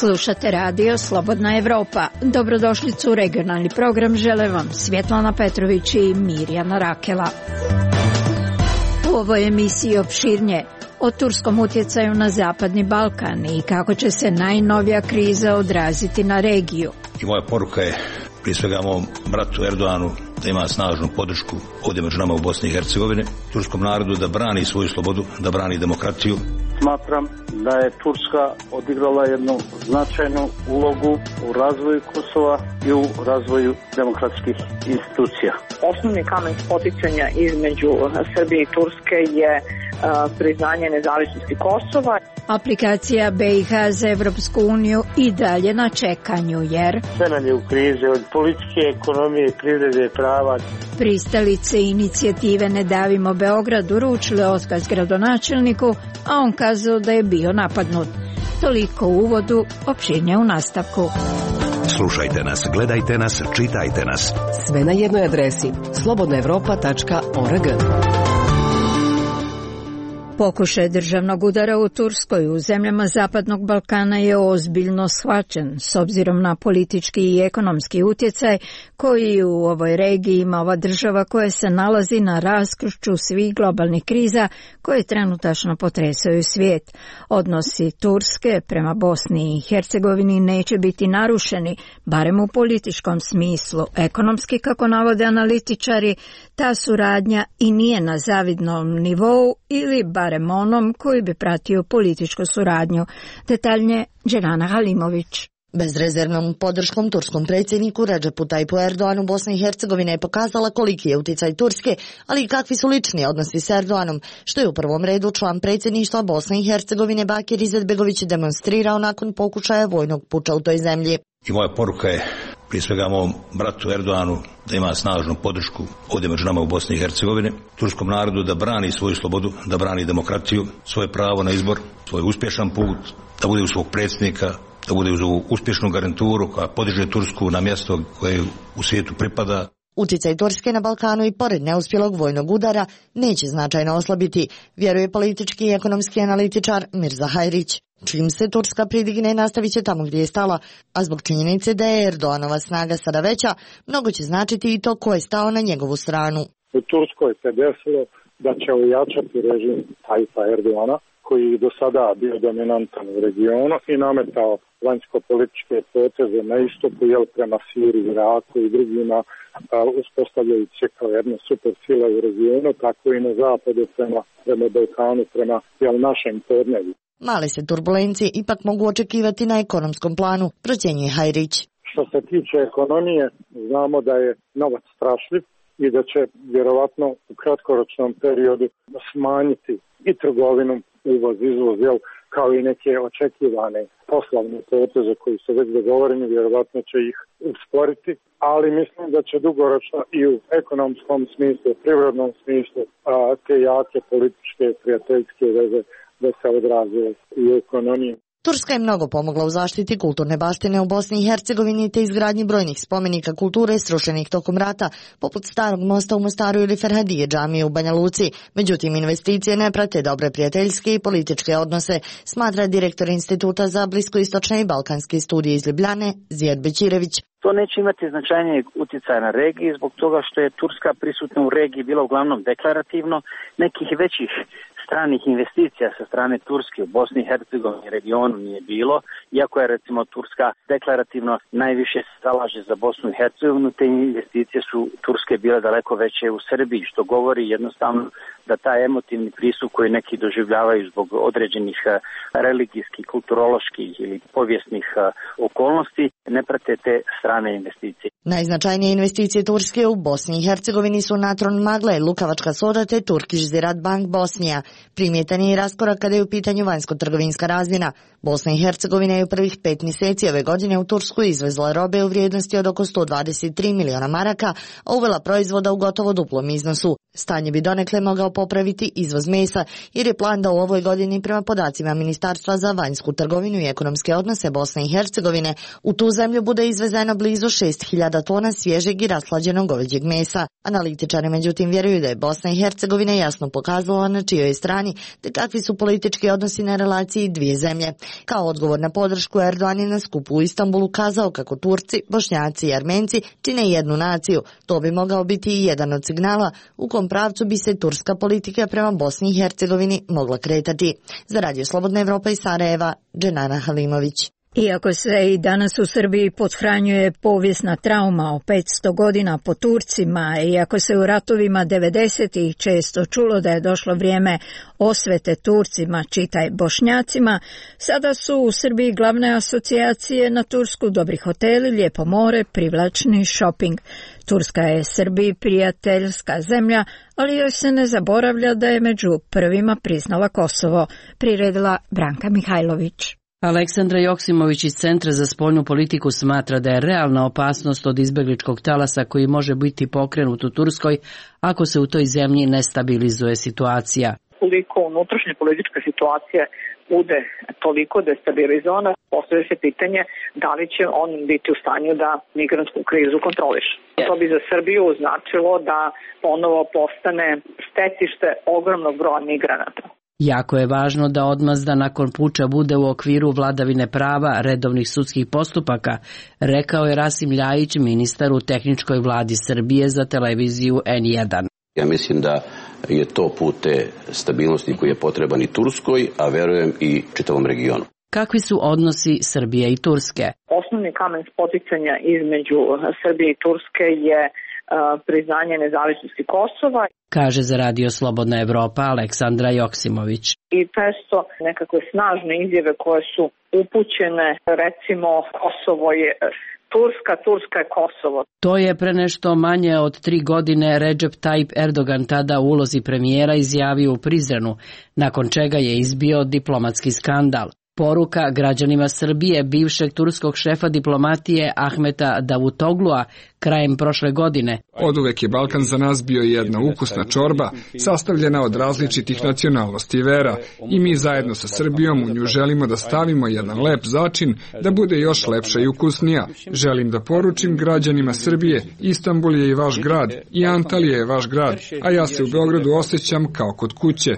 Slušate radio Slobodna Evropa. Dobrodošlicu u regionalni program žele vam Svjetlana Petrović i Mirjana Rakela. U ovoj emisiji opširnije o turskom utjecaju na Zapadni Balkan i kako će se najnovija kriza odraziti na regiju. I moja poruka je prije svega mom bratu Erdoganu da ima snažnu podršku ovdje među nama u Bosni i Hercegovini, turskom narodu da brani svoju slobodu, da brani demokratiju. Smatram da je Turska odigrala jednu značajnu ulogu u razvoju Kosova i u razvoju demokratskih institucija. Osnovni kamen spoticanja između Srbije i Turske je priznanje nezavisnosti Kosova. Aplikacija BiH za Evropsku uniju i dalje na čekanju jer Sve nam je u krizi, od politike, ekonomije, privrede, prava. Pristalice inicijative Ne davimo Beograd uručile otkaz gradonačelniku, a on kazao da je bio napadnut. Toliko u uvodu, opširnije u nastavku. Slušajte nas, gledajte nas, čitajte nas. Sve na jednoj adresi slobodnaevropa.org. Pokušaj državnog udara u Turskoj u zemljama Zapadnog Balkana je ozbiljno shvaćen s obzirom na politički i ekonomski utjecaj koji u ovoj regiji ima ova država koja se nalazi na raskrižju svih globalnih kriza koje trenutačno potresaju svijet. Odnosi Turske prema Bosni i Hercegovini neće biti narušeni, barem u političkom smislu. Ekonomski, kako navode analitičari, ta suradnja i nije na zavidnom nivou ili barem onom koji bi pratio političku suradnju. Detaljnije Đelana Halimović. Bezrezervnom podrškom turskom predsjedniku Redžepu Tajpu Erdoganu Bosna i Hercegovina je pokazala koliki je utjecaj Turske, ali i kakvi su lični odnosi s Erdoganom, što je u prvom redu član predsjedništva Bosne i Hercegovine Bakir Izetbegović demonstrirao nakon pokušaja vojnog puča u toj zemlji. I moja poruka je prije svega mom bratu Erdoganu da ima snažnu podršku ovdje među nama u Bosni i Hercegovini, turskom narodu da brani svoju slobodu, da brani demokratiju, svoje pravo na izbor, svoj uspješan put, da bude u svog predsjednika, da bude uz ovu uspješnu garanturu koja podiže Tursku na mjesto koje u svijetu pripada. Utjecaj Turske na Balkanu i pored neuspjelog vojnog udara neće značajno oslabiti, vjeruje politički i ekonomski analitičar Mirza Hajrić. Čim se Turska pridigne, nastavit će tamo gdje je stala, a zbog činjenice da je Erdoganova snaga sada veća, mnogo će značiti i to ko je stao na njegovu stranu. U Turskoj se desilo da će ojačati režim Tajpa Erdogana, koji je do sada bio dominantan u regionu i nametao vanjsko-političke poteze na istoku, prema Siriji, Iraku i drugima, uspostavljajući se kao jedna super sila u regionu, tako i na zapadu prema Balkanu, prema našem podneblju. Male se turbulencije ipak mogu očekivati na ekonomskom planu, procjenjuje Hajrić. Što se tiče ekonomije, znamo da je novac strašljiv i da će vjerovatno u kratkoročnom periodu smanjiti i trgovinu, uvoz, izvoz, kao i neke očekivane poslovne poteze koji su već dogovoreni, vjerovatno će ih usporiti, ali mislim da će dugoročno i u ekonomskom smislu, privrednom smislu, te jake političke, prijateljske veze da se odraze i u ekonomiji. Turska je mnogo pomogla u zaštiti kulturne baštine u Bosni i Hercegovini te izgradnji brojnih spomenika kulture srušenih tokom rata, poput Starog mosta u Mostaru ili Ferhadije džamije u Banja Luci. Međutim, investicije ne prate dobre prijateljske i političke odnose, smatra direktor Instituta za bliskoistočne i balkanske studije iz Ljubljane, Zijad Bećirević. To neće imati značajnijeg utjecaja na regiji zbog toga što je Turska prisutna u regiji bila uglavnom deklarativno, nekih većih stranih investicija sa strane Turske u Bosni i Hercegovini regionu nije bilo, iako je recimo Turska deklarativno najviše se zalaže za Bosnu i Hercegovinu, te investicije su Turske bile daleko veće u Srbiji, što govori jednostavno da taj emotivni pristup koji neki doživljavaju zbog određenih religijskih, kulturoloških ili povijesnih okolnosti ne prate te strane investicije. Najznačajnije investicije Turske u Bosni i Hercegovini su Natron Magle, Lukavačka soda te Turkish Ziraat Bank Bosnija. Primjetan je i raskorak kada je u pitanju vanjsko-trgovinska razmjena. Bosna i Hercegovina je u prvih 5 mjeseci ove godine u Tursku izvezla robe u vrijednosti od oko 123 miliona maraka, a uvela proizvoda u gotovo duplom iznosu. Stanje bi donekle mogao popraviti izvoz mesa, jer je plan da u ovoj godini prema podacima Ministarstva za vanjsku trgovinu i ekonomske odnose Bosne i Hercegovine u tu zemlju bude izvezeno blizu 6.000 tona svježeg i raslađenog goveđeg mesa. Analitičari međutim vjeruju da je Bosna i Hercegovina jasno pokazala na čijoj je strani te kakvi su politički odnosi na relaciji dvije zemlje. Kao odgovor na podršku, Erdogan je na skupu u Istanbulu kazao kako Turci, Bošnjaci i Armenci čine jednu naciju. To bi mogao biti i jedan od signala u kom pravcu bi se turska politika prema Bosni i Hercegovini mogla kretati. Za Radio Slobodna Evropa iz Sarajeva, Dženana Halimović. Iako se i danas u Srbiji pothranjuje povijesna trauma o 500 godina po Turcima, iako se u ratovima 90-ih često čulo da je došlo vrijeme osvete Turcima, čitaj Bošnjacima, sada su u Srbiji glavne asocijacije na Tursku dobri hoteli, lijepo more, privlačni šoping. Turska je Srbiji prijateljska zemlja, ali joj se ne zaboravlja da je među prvima priznala Kosovo, priredila Branka Mihajlović. Aleksandra Joksimović iz Centra za spoljnu politiku smatra da je realna opasnost od izbegličkog talasa koji može biti pokrenut u Turskoj ako se u toj zemlji ne stabilizuje situacija. Koliko unutrašnja politička situacija bude toliko destabilizovana, postavlja se pitanje da li će on biti u stanju da migrantsku krizu kontroliše. To bi za Srbiju značilo da ponovo postane stecište ogromnog broja migranata. Jako je važno da odmazda nakon puča bude u okviru vladavine prava, redovnih sudskih postupaka, rekao je Rasim Ljajić, ministar u tehničkoj vladi Srbije za televiziju N1. Ja mislim da je to put te stabilnosti koji je potreban i Turskoj, a verujem i čitavom regionu. Kakvi su odnosi Srbije i Turske? Osnovni kamen spoticanja između Srbije i Turske je priznanje nezavisnosti Kosova, kaže za Radio Slobodna Evropa Aleksandra Joksimović. I često nekakve snažne izjave koje su upućene, recimo Kosovo je Turska, Turska je Kosovo. To je pre nešto manje od 3 godine Recep Tayyip Erdogan tada u ulozi premijera izjavio u Prizrenu, nakon čega je izbio diplomatski skandal. Poruka građanima Srbije bivšeg turskog šefa diplomatije Ahmeta Davutoglua krajem prošle godine. Oduvek je Balkan za nas bio jedna ukusna čorba, sastavljena od različitih nacionalnosti i vera, i mi zajedno sa Srbijom u nju želimo da stavimo jedan lep začin da bude još lepša i ukusnija. Želim da poručim građanima Srbije, Istanbul je i vaš grad, i Antalija je vaš grad, a ja se u Beogradu osjećam kao kod kuće.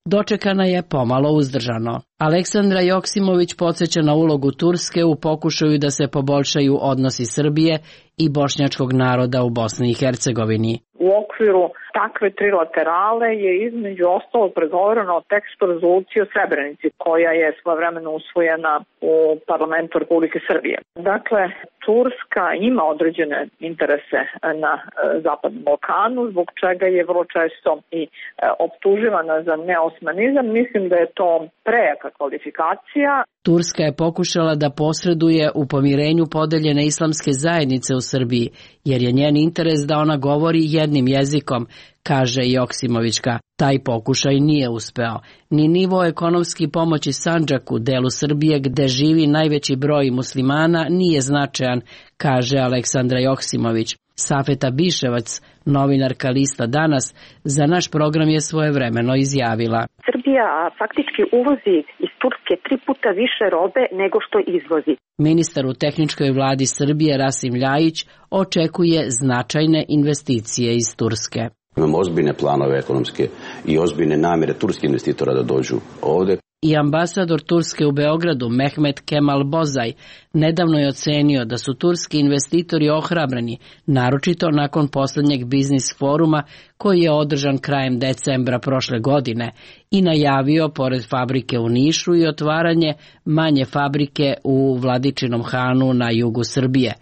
Dočekana je pomalo uzdržano. Aleksandra Joksimović podsjeća na ulogu Turske u pokušaju da se poboljšaju odnosi Srbije i bošnjačkog naroda u Bosni i Hercegovini. U okviru takve trilaterale je između ostalog pregovoreno o tekstu rezolucije o Srebrenici, koja je svojevremeno usvojena u parlamentu Republike Srbije. Dakle, Turska ima određene interese na Zapadnom Balkanu, zbog čega je vrlo često i optuživana za neosmanizam. Mislim da je to prejaka kvalifikacija. Turska je pokušala da posreduje u pomirenju podeljene islamske zajednice u Srbiji, jer je njen interes da ona govori jednim jezikom, kaže Joksimovićka. Taj pokušaj nije uspeo. Ni nivo ekonomski pomoći Sandžaku, delu Srbije gde živi najveći broj muslimana, nije značajan, kaže Aleksandra Joksimović. Safeta Biševac, novinarka lista Danas, za naš program je svojevremeno izjavila. Srbija faktički uvozi iz Turske 3 puta više robe nego što izvozi. Ministar u tehničkoj vladi Srbije Rasim Ljajić očekuje značajne investicije iz Turske. Imamo ozbiljne planove ekonomske i ozbiljne namjere turskih investitora da dođu ovde. I ambasador Turske u Beogradu Mehmet Kemal Bozaj nedavno je ocenio da su turski investitori ohrabreni, naročito nakon posljednjeg biznis foruma koji je održan krajem decembra prošle godine i najavio pored fabrike u Nišu i otvaranje manje fabrike u Vladičinom Hanu na jugu Srbije.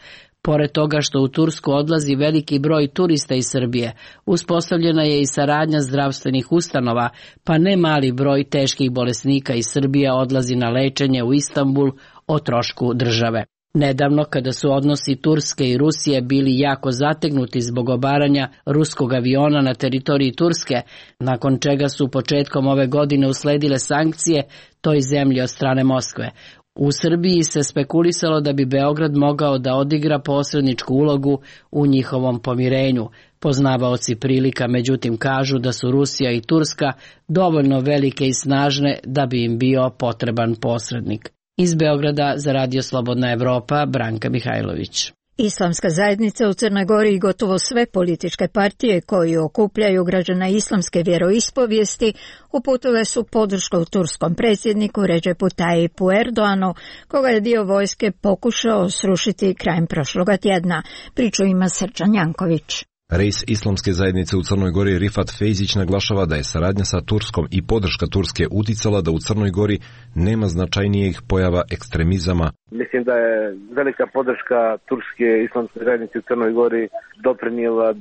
Pored toga što u Tursku odlazi veliki broj turista iz Srbije, uspostavljena je i saradnja zdravstvenih ustanova, pa ne mali broj teških bolesnika iz Srbije odlazi na lečenje u Istanbul o trošku države. Nedavno, kada su odnosi Turske i Rusije bili jako zategnuti zbog obaranja ruskog aviona na teritoriji Turske, nakon čega su početkom ove godine usledile sankcije toj zemlji od strane Moskve, U Srbiji se spekulisalo da bi Beograd mogao da odigra posredničku ulogu u njihovom pomirenju. Poznavaoci prilika međutim kažu da su Rusija i Turska dovoljno velike i snažne da bi im bio potreban posrednik. Iz Beograda za Radio Slobodna Evropa, Branka Mihajlović. Islamska zajednica u Crnoj Gori i gotovo sve političke partije koji okupljaju građana islamske vjeroispovijesti uputile su podršku turskom predsjedniku Redžepu Tajipu Erdoanu, koga je dio vojske pokušao srušiti krajem prošloga tjedna. Priču ima Srđan Janković. Reis Islamske zajednice u Crnoj Gori Rifat Fejzić naglašava da je saradnja sa Turskom i podrška Turske uticala da u Crnoj Gori nema značajnijih pojava ekstremizama. Mislim da je velika podrška Turske Islamske zajednice u Crnoj Gori doprinijela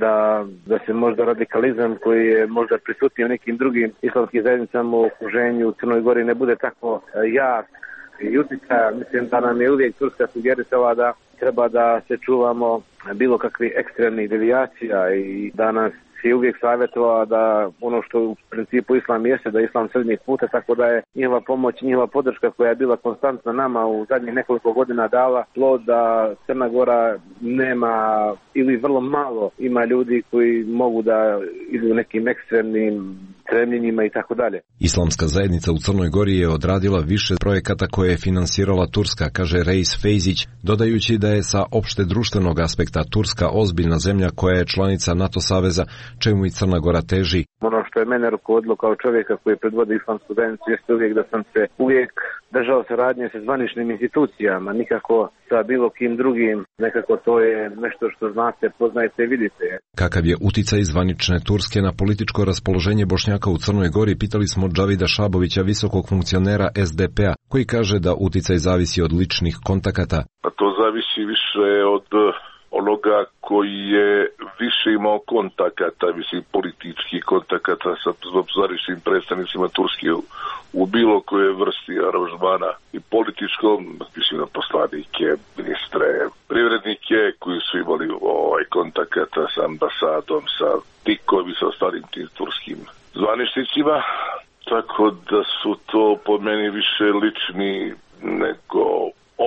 da se možda radikalizam koji je možda prisutniji u nekim drugim islamskim zajednicama u okruženju u Crnoj Gori ne bude tako jak i uticaja. Mislim da nam je uvijek Turska sugerisala da treba da se čuvamo bilo kakvih ekstremnih devijacija i da nas je uvijek savjetovala da ono što u principu islam jeste, da je islam srednjeg puta, tako da je njihova pomoć, njihova podrška koja je bila konstantna nama u zadnjih nekoliko godina dala plod da Crna Gora nema ili vrlo malo ima ljudi koji mogu da idu nekim ekstremnim stremljenjima i tako dalje. Islamska zajednica u Crnoj Gori je odradila više projekata koje je finansirala Turska, kaže Reis Fejzić, dodajući da je sa opšte društvenog aspekta Turska ozbiljna zemlja koja je članica NATO saveza, čemu i Crna Gora teži. Ono što je mene rukovodilo kao čovjeka koji predvodi islamsku zajednicu jeste uvijek da sam se uvijek držao saradnje sa zvaničnim institucijama, nikako sa bilo kim drugim, nekako to je nešto što znate, poznajete i vidite. Kakav je uticaj zvanične Turske na političko raspoloženje Bošnjaka u Crnoj Gori, pitali smo Džavida Šabovića, visokog funkcionera SDP-a, koji kaže da uticaj zavisi od ličnih kontakata. A to zavisi više od onoga koji je više imao kontakata, mislim političkih kontakata sa zvaničnim predstavnicima Turske u bilo koje vrsti aranžmana i političkom, mislim na poslanike, ministre, privrednike koji su imali kontakata sa ambasadom, sa tikom i sa ostalim tim turskim zvaničnicima, tako da su to po meni više lični nego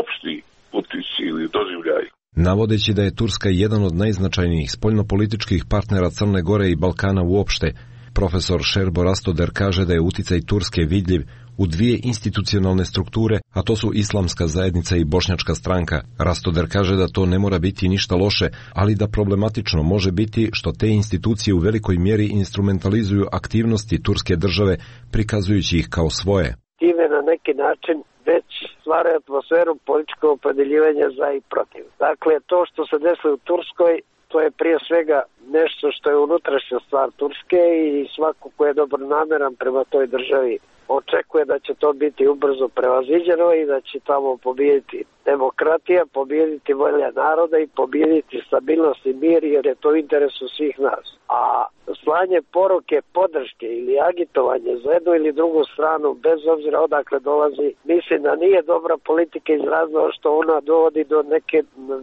opšti utici ili doživljaj. Navodeći da je Turska jedan od najznačajnijih spoljnopolitičkih partnera Crne Gore i Balkana uopšte, profesor Šerbo Rastoder kaže da je uticaj Turske vidljiv u dvije institucionalne strukture, a to su Islamska zajednica i Bošnjačka stranka. Rastoder kaže da to ne mora biti ništa loše, ali da problematično može biti što te institucije u velikoj mjeri instrumentalizuju aktivnosti turske države, prikazujući ih kao svoje. Time na neki način već stvara atmosferu političkog opredeljivanja za i protiv. Dakle, to što se desilo u Turskoj, to je prije svega nešto što je unutrašnja stvar Turske i svako ko je dobronameran prema toj državi očekuje da će to biti ubrzo prevaziđeno i da će tamo pobijediti demokratija, pobijediti volja naroda i pobijediti stabilnost i mir, jer je to u interesu svih nas. A slanje poruke, podrške ili agitovanje za jednu ili drugu stranu, bez obzira odakle dolazi, mislim da nije dobra politika iz razloga što ona dovodi do neke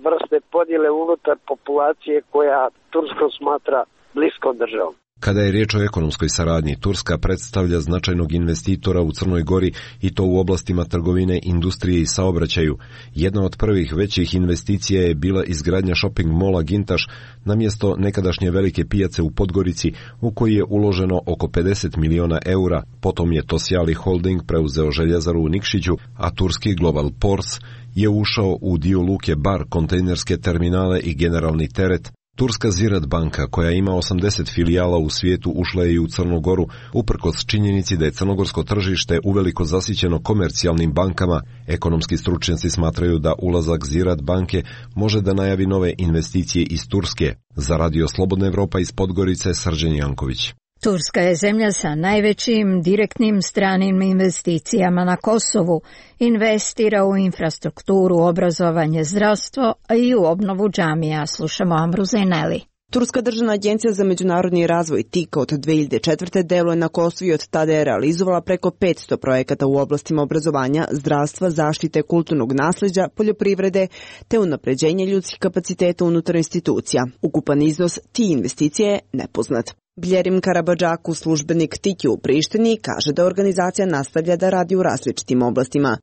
vrste podjele unutar populacije koja Tursku smatra bliskom državom. Kada je riječ o ekonomskoj saradnji, Turska predstavlja značajnog investitora u Crnoj Gori i to u oblastima trgovine, industrije i saobraćaju. Jedna od prvih većih investicija je bila izgradnja shopping mola Gintaš na mjesto nekadašnje velike pijace u Podgorici, u koji je uloženo oko 50 miliona eura. Potom je Tosjali Holding preuzeo željezaru u Nikšiću, a turski Global Ports je ušao u dio luke Bar, kontejnerske terminale i generalni teret. Turska Ziraat banka, koja ima 80 filijala u svijetu, ušla je i u Crnu Goru, uprkos činjenici da je crnogorsko tržište uveliko zasićeno komercijalnim bankama. Ekonomski stručnjaci smatraju da ulazak Ziraat banke može da najavi nove investicije iz Turske. Za Radio Slobodna Evropa iz Podgorice, Srđan Janković. Turska je zemlja sa najvećim direktnim stranim investicijama na Kosovu. Investira u infrastrukturu, obrazovanje, zdravstvo, a i u obnovu džamija. Slušamo Amru Zaineli. Turska državna agencija za međunarodni razvoj TIKA od 2004. deluje na Kosovu i od tada je realizovala preko 500 projekata u oblastima obrazovanja, zdravstva, zaštite kulturnog nasleđa, poljoprivrede te unapređenje ljudskih kapaciteta unutar institucija. Ukupan iznos ti investicije je nepoznat. Bljerim Karabadžaku, službenik Tiki u Prištini, kaže da organizacija nastavlja da radi u različitim oblastima.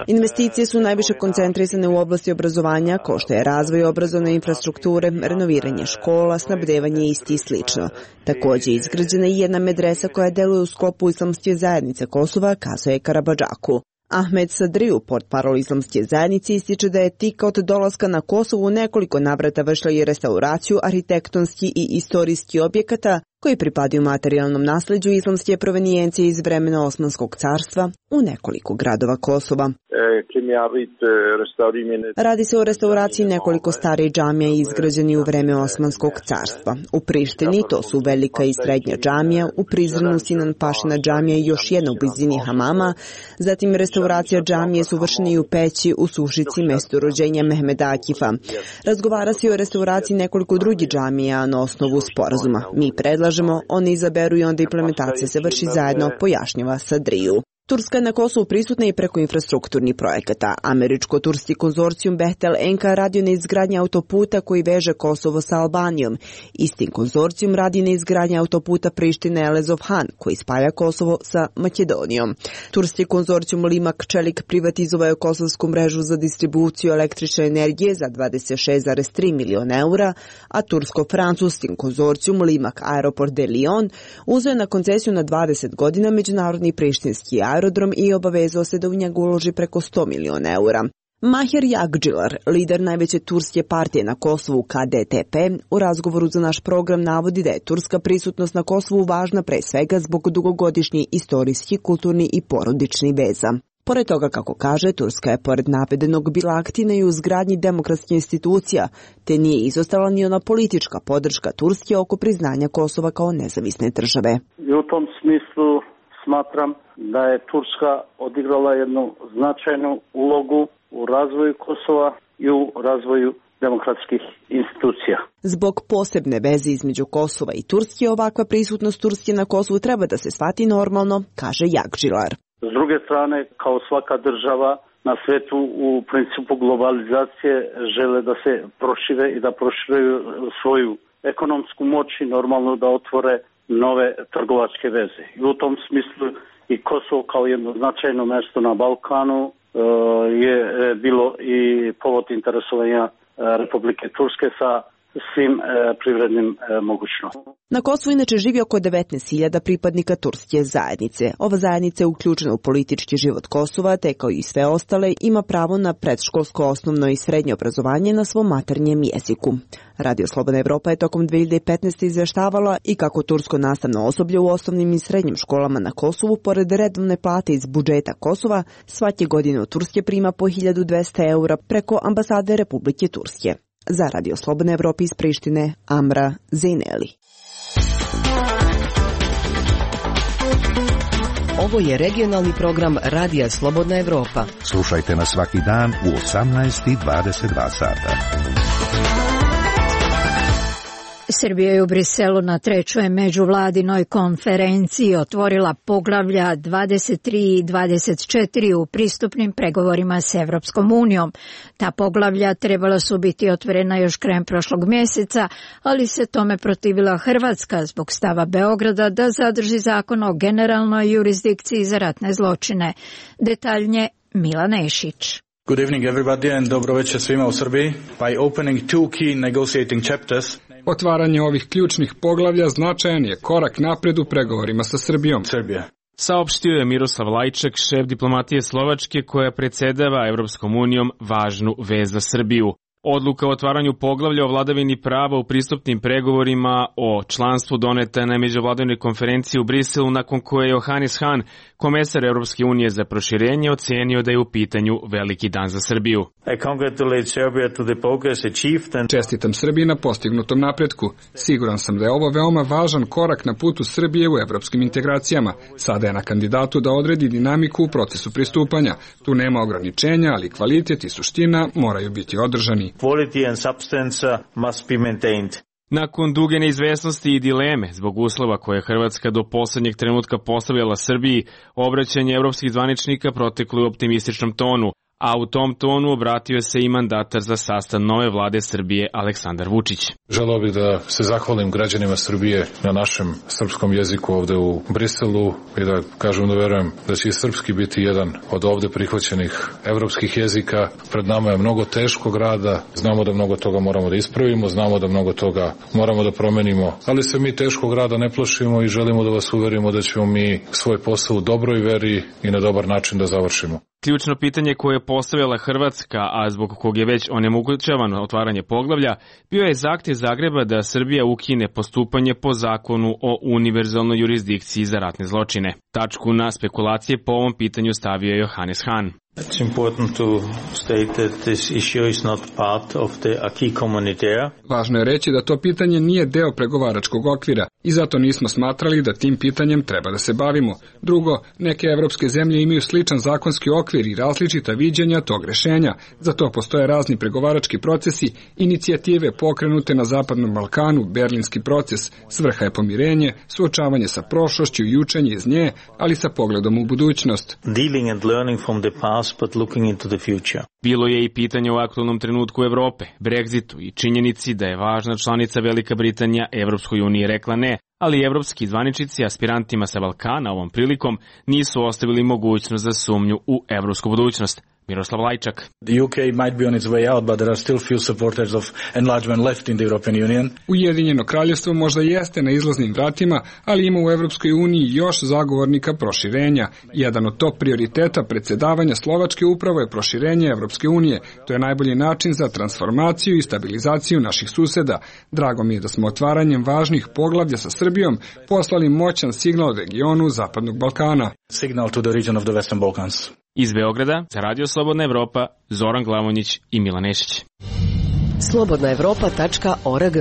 Investicije su najviše koncentrisane u oblasti obrazovanja, kao što je razvoj obrazovne infrastrukture, renoviranje škola, snabdevanje isti i slično. Također izgrađena je jedna medresa koja deluje u sklopu Islamske zajednice Kosova, kazuje Karabadžaku. Ahmed Sadriju, portparol Islamske zajednice, ističe da je Tika od dolaska na Kosovu nekoliko navrata vršila i restauraciju arhitektonskih i istorijskih objekata koji pripadaju materijalnom nasleđu islamske provenijencije iz vremena Osmanskog carstva u nekoliko gradova Kosova. Radi se o restauraciji nekoliko starih džamija izgrađeni u vreme Osmanskog carstva. U Prištini to su Velika i Srednja džamija, u Prizrenu Sinan Pašina džamija i još jedna u blizini Hamama, zatim restauracija džamije su vršene i u Peći, u Sušici, mestu rođenja Mehmeda Akifa. Razgovara se o restauraciji nekoliko drugih džamija na osnovu sporazuma. Mi predlažemo, oni izaberu i onda implementacija se vrši zajedno, pojašnjava Sadriju. Turska je na Kosovu prisutna i preko infrastrukturnih projekata. Američko-turski konzorcijum Behtel Enka radi na izgradnji autoputa koji veže Kosovo sa Albanijom. Istim konzorcijum radi na izgradnji autoputa Priština-Elezov-Han koji spaja Kosovo sa Makedonijom. Turski konzorcijum Limak Čelik privatizovao je kosovsku mrežu za distribuciju električne energije za 26,3 miliona eura, a tursko-francuski konzorcijum Limak Aeroport de Lyon uzeo na koncesiju na 20 godina međunarodni prištinski aerodrom i obavezao se da u njega uloži preko 100 miliona eura. Mahir Jagdžilar, lider najveće turske partije na Kosovu KDTP, u razgovoru za naš program navodi da je turska prisutnost na Kosovu važna pre svega zbog dugogodišnjih istorijski, kulturni i porodični veza. Pored toga, kako kaže, Turska je pored navedenog bila aktivna i u izgradnji demokratskih institucija, te nije izostala ni ona politička podrška Turske oko priznanja Kosova kao nezavisne države. I u tom smislu smatram da je Turska odigrala jednu značajnu ulogu u razvoju Kosova i u razvoju demokratskih institucija. Zbog posebne veze između Kosova i Turske, ovakva prisutnost Turske na Kosovu treba da se shvati normalno, kaže Jagdžilar. S druge strane, kao svaka država na svetu u principu globalizacije žele da se prošire i da proširuju svoju ekonomsku moć i normalno da otvore nove trgovačke veze. I u tom smislu i Kosovo kao jedno značajno mjesto na Balkanu je bilo i povod interesovanja Republike Turske sa svim privrednim mogućnostima. Na Kosovu inače živi oko 19.000 pripadnika turske zajednice. Ova zajednica je uključena u politički život Kosova, te kao i sve ostale ima pravo na predškolsko, osnovno i srednje obrazovanje na svom maternjem jeziku. Radio Slobodna Evropa je tokom 2015. izvještavala i kako tursko nastavno osoblje u osnovnim i srednjim školama na Kosovu, pored redovne plate iz budžeta Kosova, svake godine od Turske prima po 1200 eura preko ambasade Republike Turske. Za Radio Slobodna Evropa iz Prištine, Amra Zejneli. Ovo je regionalni program Radija Slobodna Evropa. Slušajte nas svaki dan u 18:22 sata. Srbija je u Briselu na trećoj međuvladinoj konferenciji otvorila poglavlja 23 i 24 u pristupnim pregovorima s Evropskom unijom. Ta poglavlja trebala su biti otvorena još krajem prošlog mjeseca, ali se tome protivila Hrvatska zbog stava Beograda da zadrži zakon o generalnoj jurisdikciji za ratne zločine. Detaljnije Milan Ešić. Good evening everybody and dobro večer svima u Srbiji. By opening two key negotiating chapters, otvaranje ovih ključnih poglavlja značajan je korak napred u pregovorima sa Srbijom. Saopštio je Miroslav Lajčak, šef diplomatije Slovačke koja predsjedava Evropskom unijom, važnu vest za Srbiju. Odluka o otvaranju poglavlja o vladavini prava u pristupnim pregovorima o članstvu doneta na međuvladinoj konferenciji u Briselu, nakon koje je Johannes Hahn, komesar Europske unije za proširenje, ocenio da je u pitanju veliki dan za Srbiju. Čestitam Srbiji na postignutom napretku. Siguran sam da je ovo veoma važan korak na putu Srbije u evropskim integracijama. Sada je na kandidatu da odredi dinamiku u procesu pristupanja. Tu nema ograničenja, ali kvalitet i suština moraju biti održani. Quality and substance must be maintained. Nakon duge neizvesnosti i dileme zbog uslova koje je Hrvatska do poslednjeg trenutka postavljala Srbiji, obraćanje evropskih zvaničnika proteklo u optimističnom tonu, a u tom tonu obratio se i mandatar za sastav nove vlade Srbije Aleksandar Vučić. Želeo bih da se zahvalim građanima Srbije na našem srpskom jeziku ovde u Briselu i da kažem da verujem da će i srpski biti jedan od ovde prihvaćenih evropskih jezika. Pred nama je mnogo teškog rada, znamo da mnogo toga moramo da ispravimo, znamo da mnogo toga moramo da promenimo, ali se mi teškog rada ne plašimo i želimo da vas uverimo da ćemo mi svoj posao u dobroj veri i na dobar način da završimo. Ključno pitanje koje je postavila Hrvatska, a zbog kog je već onemogućavano otvaranje poglavlja, bio je zahtjev Zagreba da Srbija ukine postupanje po zakonu o univerzalnoj jurisdikciji za ratne zločine. Tačku na spekulacije po ovom pitanju stavio je Johannes Hahn. It's important to state that this issue is not part of the acquis communautaire. Važno je reći da to pitanje nije deo pregovaračkog okvira i zato nismo smatrali da tim pitanjem treba da se bavimo. Drugo, neke evropske zemlje imaju sličan zakonski okvir i različita viđenja tog rešenja. Za to postoje razni pregovarački procesi, inicijative pokrenute na Zapadnom Balkanu, Berlinski proces, svrha je pomirenje, suočavanje sa prošlošću i učenje iz nje, ali sa pogledom u budućnost. Dealing and learning from the past but looking into the future. Bilo je i pitanje o aktualnom trenutku Evrope, Brexitu i činjenici da je važna članica Velika Britanija Evropskoj uniji rekla ne, ali evropski zvaničnici aspirantima sa Balkana ovom prilikom nisu ostavili mogućnost za sumnju u evropsku budućnost. Miroslav Lajčak. The UK might be on its way out, but there are still few supporters of enlargement left in the European Union. Ujedinjeno kraljevstvo možda jeste na izlaznim vratima, ali ima u Evropskoj uniji još zagovornika proširenja. Jedan od top prioriteta predsjedavanja Slovačke upravo je proširenje Evropske unije. To je najbolji način za transformaciju i stabilizaciju naših suseda. Drago mi je da smo otvaranjem važnih poglavlja sa Srbijom poslali moćan signal regionu Zapadnog Balkana. Signal to the region of the Western Balkans. Iz Beograda, za Radio Slobodna Evropa, Zoran Glavonjić i Milan Nešić. slobodnaevropa.org.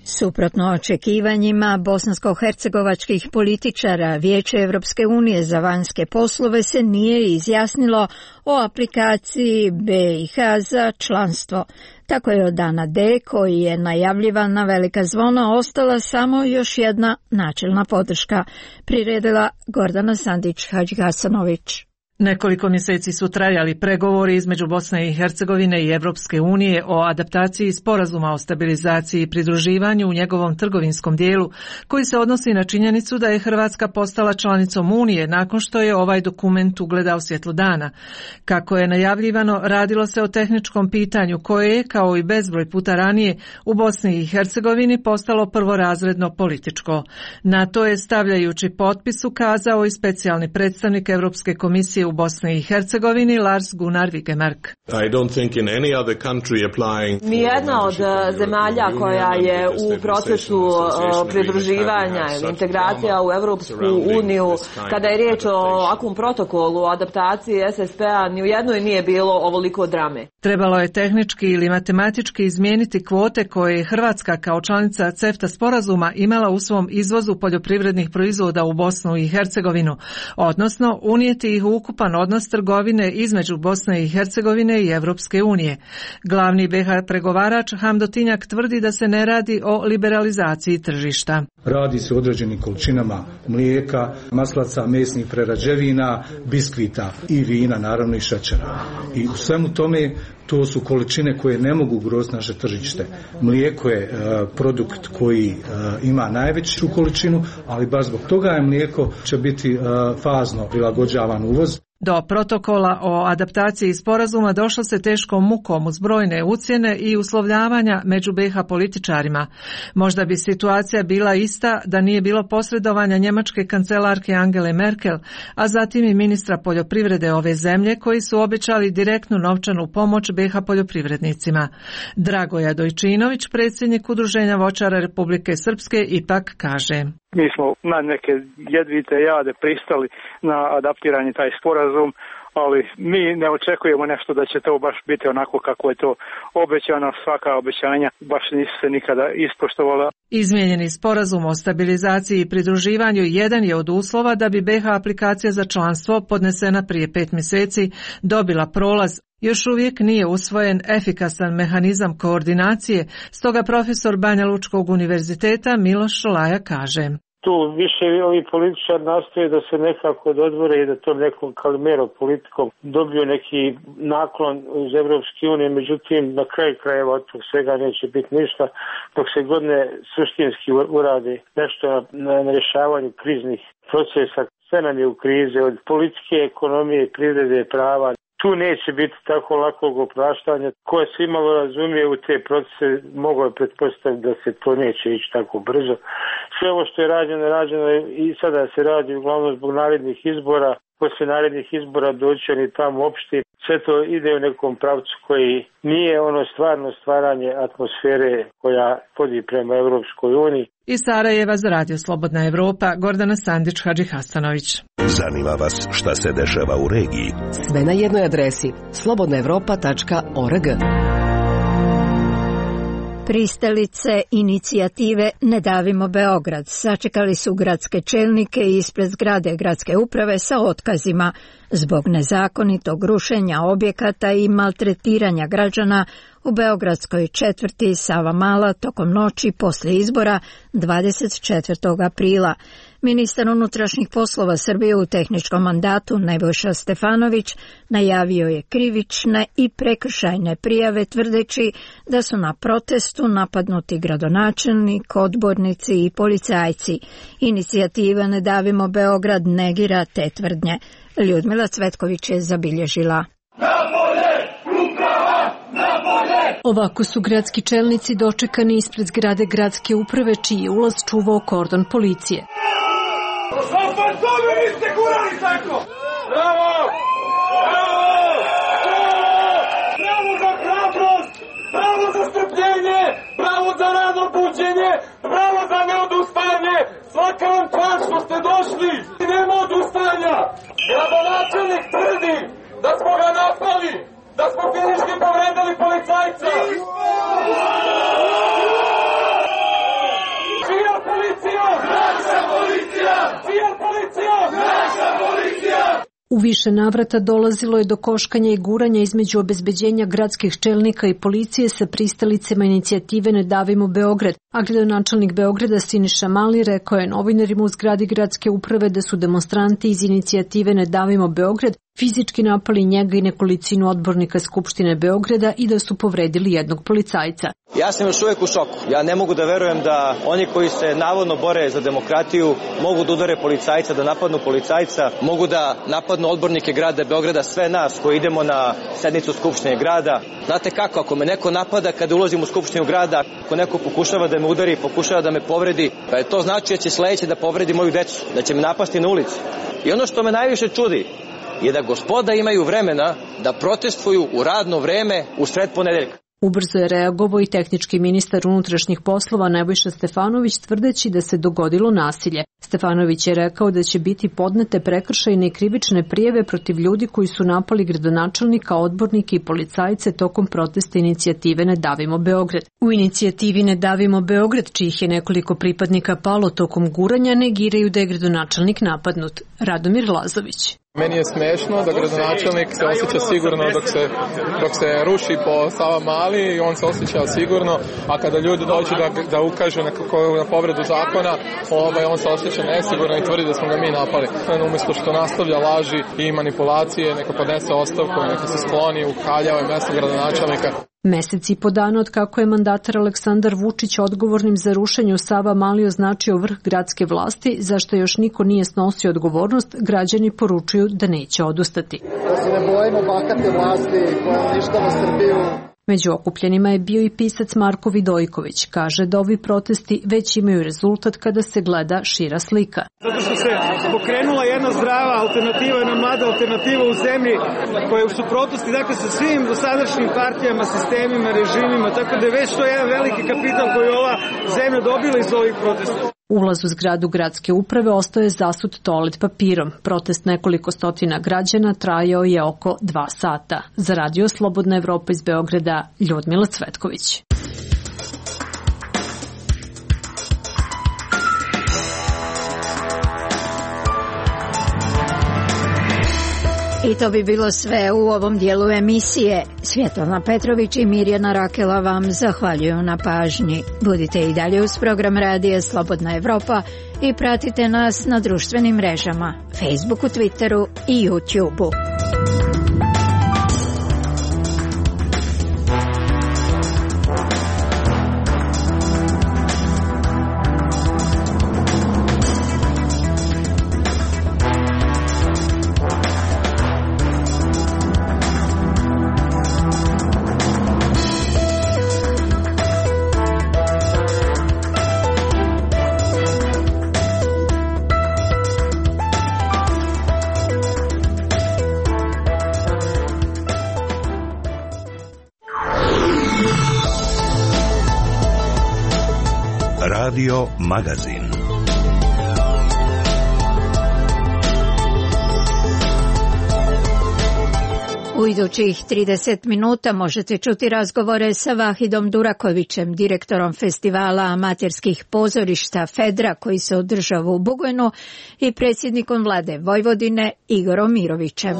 Suprotno očekivanjima bosansko-hercegovačkih političara, Vijeće Evropske unije za vanjske poslove se nije izjasnilo o aplikaciji BiH za članstvo. Tako je od dana D, koji je najavljivan na velika zvona, ostala samo još jedna načelna podrška, priredila Gordana Sandić-Hadžgasanović. Nekoliko mjeseci su trajali pregovori između Bosne i Hercegovine i Evropske unije o adaptaciji sporazuma o stabilizaciji i pridruživanju u njegovom trgovinskom dijelu, koji se odnosi na činjenicu da je Hrvatska postala članicom Unije nakon što je ovaj dokument ugledao svjetlo dana. Kako je najavljivano, radilo se o tehničkom pitanju koje je, kao i bezbroj puta ranije, u Bosni i Hercegovini postalo prvorazredno političko. Na to je, stavljajući potpis, ukazao i specijalni predstavnik Evropske komisije u Bosni i Hercegovini Lars Gunnar Wigemark. Nijedna od zemalja koja je u procesu pridruživanja ili integracija u Evropsku uniju, kada je riječ o ovakvom protokolu o adaptaciji SSP-a, ni u jednoj nije bilo ovoliko drame. Trebalo je tehnički ili matematički izmijeniti kvote koje je Hrvatska kao članica CEFTA sporazuma imala u svom izvozu poljoprivrednih proizvoda u Bosnu i Hercegovinu, odnosno unijeti ih u ukupan odnos trgovine između Bosne i Hercegovine i Evropske unije. Glavni BiH pregovarač Hamdo Tinjak tvrdi da se ne radi o liberalizaciji tržišta. Radi se o određenim količinama mlijeka, maslaca, mesnih prerađevina, biskvita i vina, naravno i šećera. I u svemu tome to su količine koje ne mogu ugroziti naše tržište. Mlijeko je produkt koji ima najveću količinu, ali baš zbog toga je mlijeko će biti fazno prilagođavan uvoz. Do protokola o adaptaciji sporazuma došlo se teškom mukom uz brojne ucjene i uslovljavanja među BiH političarima. Možda bi situacija bila ista da nije bilo posredovanja njemačke kancelarke Angele Merkel, a zatim i ministra poljoprivrede ove zemlje koji su obećali direktnu novčanu pomoć BiH poljoprivrednicima. Dragoja Dojčinović, predsjednik Udruženja voćara Republike Srpske, ipak kaže: Mi smo na neke jedvite jade pristali na adaptiranje taj sporazum, ali mi ne očekujemo nešto da će to baš biti onako kako je to obećano. Svaka obećanja baš nisu se nikada ispoštovala. Izmijenjeni sporazum o stabilizaciji i pridruživanju jedan je od uslova da bi BiH aplikacija za članstvo, podnesena prije 5 mjeseci, dobila prolaz. Još uvijek nije usvojen efikasan mehanizam koordinacije, stoga profesor Banja Lučkog univerziteta Miloš Šolaja kaže: tu više ovi političari nastoje da se nekako dodvore i da to nekom kalimero politikom dobiju neki naklon iz Evropske unije, međutim na kraju krajeva od tog svega neće biti ništa dok se god ne suštinski uradi nešto na rješavanju kriznih procesa. Sve nam je u krizi, od politike, ekonomije, privrede, prava. Tu neće biti tako lakog opraštanja. Ko je svi malo razumije u te procese, mogu je pretpostaviti da se to neće ići tako brzo. Sve ovo što je rađeno i sada se radi uglavnom zbog narednih izbora. Poslije narednih izbora doći oni tamo opšti. Sve to ide u nekom pravcu koji nije ono stvarno stvaranje atmosfere koja vodi prema Evropskoj uniji. Iz Sarajeva za Radio Slobodna Evropa, Gordana Sandić-Hadžihasanović. Zanima vas šta se dešava u regiji? Sve na jednoj adresi slobodnaevropa.org. Pristalice inicijative Ne davimo Beograd sačekali su gradske čelnike ispred zgrade gradske uprave sa otkazima zbog nezakonitog rušenja objekata i maltretiranja građana u beogradskoj četvrti Savamala tokom noći poslije izbora 24. aprila. Ministar unutrašnjih poslova Srbije u tehničkom mandatu Nebojša Stefanović najavio je krivične i prekršajne prijave tvrdeći da su na protestu napadnuti gradonačelnik, odbornici i policajci. Inicijativa Ne davimo Beograd negira te tvrdnje. Ljudmila Cvetković je zabilježila. Ovako su gradski čelnici dočekani ispred zgrade gradske uprave čiji je ulaz čuvao kordon policije. Bravo! Bravo za hrabrost! Bravo za strpljenje! Bravo za rano buđenje! Bravo za neodustajanje! Svaka vam čast što ste došli! Nema odustajanja! Gradonačelnik tvrdi da smo ga napali! Da smo fizički povredili policajca! Čija policija? Naša policija! Čija policija? Naša policija! U više navrata dolazilo je do koškanja i guranja između obezbeđenja gradskih čelnika i policije sa pristalicama inicijative Ne davimo Beograd, a gradonačelnik Beograda Siniša Mali rekao je novinarima u zgradi gradske uprave da su demonstranti iz inicijative Ne davimo Beograd fizički napali njega i nekolicinu odbornika Skupštine Beograda i da su povredili jednog policajca. Ja sam još uvijek u šoku. Ja ne mogu da verujem da oni koji se navodno bore za demokratiju mogu da udare policajca, da napadnu policajca, mogu da napadnu odbornike grada Beograda, sve nas koji idemo na sednicu Skupštine grada. Znate kako, ako me neko napada kada ulazim u Skupštinu grada, ako neko pokušava da me udari, pokušava da me povredi, pa je to znači da će sledeće da povredi moju decu, da će me napasti na ulici. I ono što me najviše čudi je da gospoda imaju vremena da protestuju u radno vreme u sred ponedeljka. Ubrzo je reagovao i tehnički ministar unutrašnjih poslova Nebojša Stefanović tvrdeći da se dogodilo nasilje. Stefanović je rekao da će biti podnete prekršajne i krivične prijave protiv ljudi koji su napali gradonačelnika, odbornike i policajce tokom protesta inicijative Ne davimo Beograd. U inicijativi Ne davimo Beograd, čijih je nekoliko pripadnika palo tokom guranja, negiraju da je gradonačelnik napadnut. Radomir Lazović. Meni je smešno da gradonačelnik se osjeća sigurno dok se ruši po Savamali i on se osjeća sigurno, a kada ljudi dođu da ukažu na povredu zakona, on se osjeća nesigurno i tvrdi da smo ga mi napali. Umjesto što nastavlja laži i manipulacije, neka podnese ostavku, neka se skloni u Kaljavo i mesto gradonačelnika. Mesec i po dana od kako je mandatar Aleksandar Vučić odgovornim za rušenje u Savamali označio vrh gradske vlasti, zašto još niko nije snosio odgovornost, građani poručuju da neće odustati. Da se ne bojimo bahate vlasti koja uništava Srbiju. Među okupljenima je bio i pisac Marko Vidojković. Kaže da ovi protesti već imaju rezultat kada se gleda šira slika. Zato što se pokrenula jedna zdrava alternativa, jedna mlada alternativa u zemlji koja je u suprotnosti sa svim dosadašnjim partijama, sistemima, režimima, tako da je već to jedan veliki kapital koji je ova zemlja dobila iz ovih protesta. Ulaz u zgradu gradske uprave ostao je zasut toalet papirom. Protest nekoliko stotina građana trajao je oko 2 sata. Za Radio Slobodna Evropa iz Beograda, Ljudmila Cvetković. I to bi bilo sve u ovom dijelu emisije. Svjetlana Petrović i Mirjana Rakela vam zahvaljuju na pažnji. Budite i dalje uz program Radija Slobodna Evropa i pratite nas na društvenim mrežama, Facebooku, Twitteru i YouTubeu. Radio Magazin. U idućih 30 minuta možete čuti razgovore sa Vahidom Durakovićem, direktorom festivala amaterskih pozorišta Fedra koji se održava u Bugojnu i predsjednikom vlade Vojvodine Igorom Mirovićem.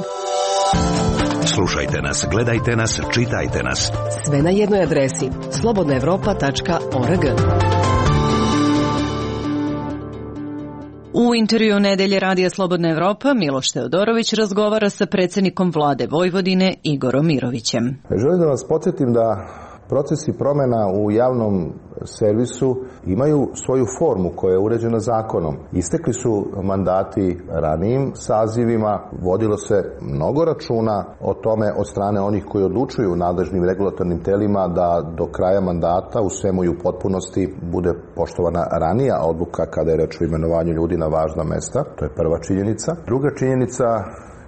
Slušajte nas, gledajte nas, čitajte nas. Sve na jednoj adresi slobodnaevropa.org. U intervju Nedelje Radija Slobodna Evropa Miloš Teodorović razgovara sa predsjednikom vlade Vojvodine Igorom Mirovićem. Želim da vas podsjetim da procesi promjena u javnom servisu imaju svoju formu koja je uređena zakonom. Istekli su mandati ranijim sazivima, vodilo se mnogo računa o tome od strane onih koji odlučuju u nadležnim regulatornim telima da do kraja mandata u svemu i u potpunosti bude poštovana ranija odluka kada je reč o imenovanju ljudi na važna mesta. To je prva činjenica. Druga činjenica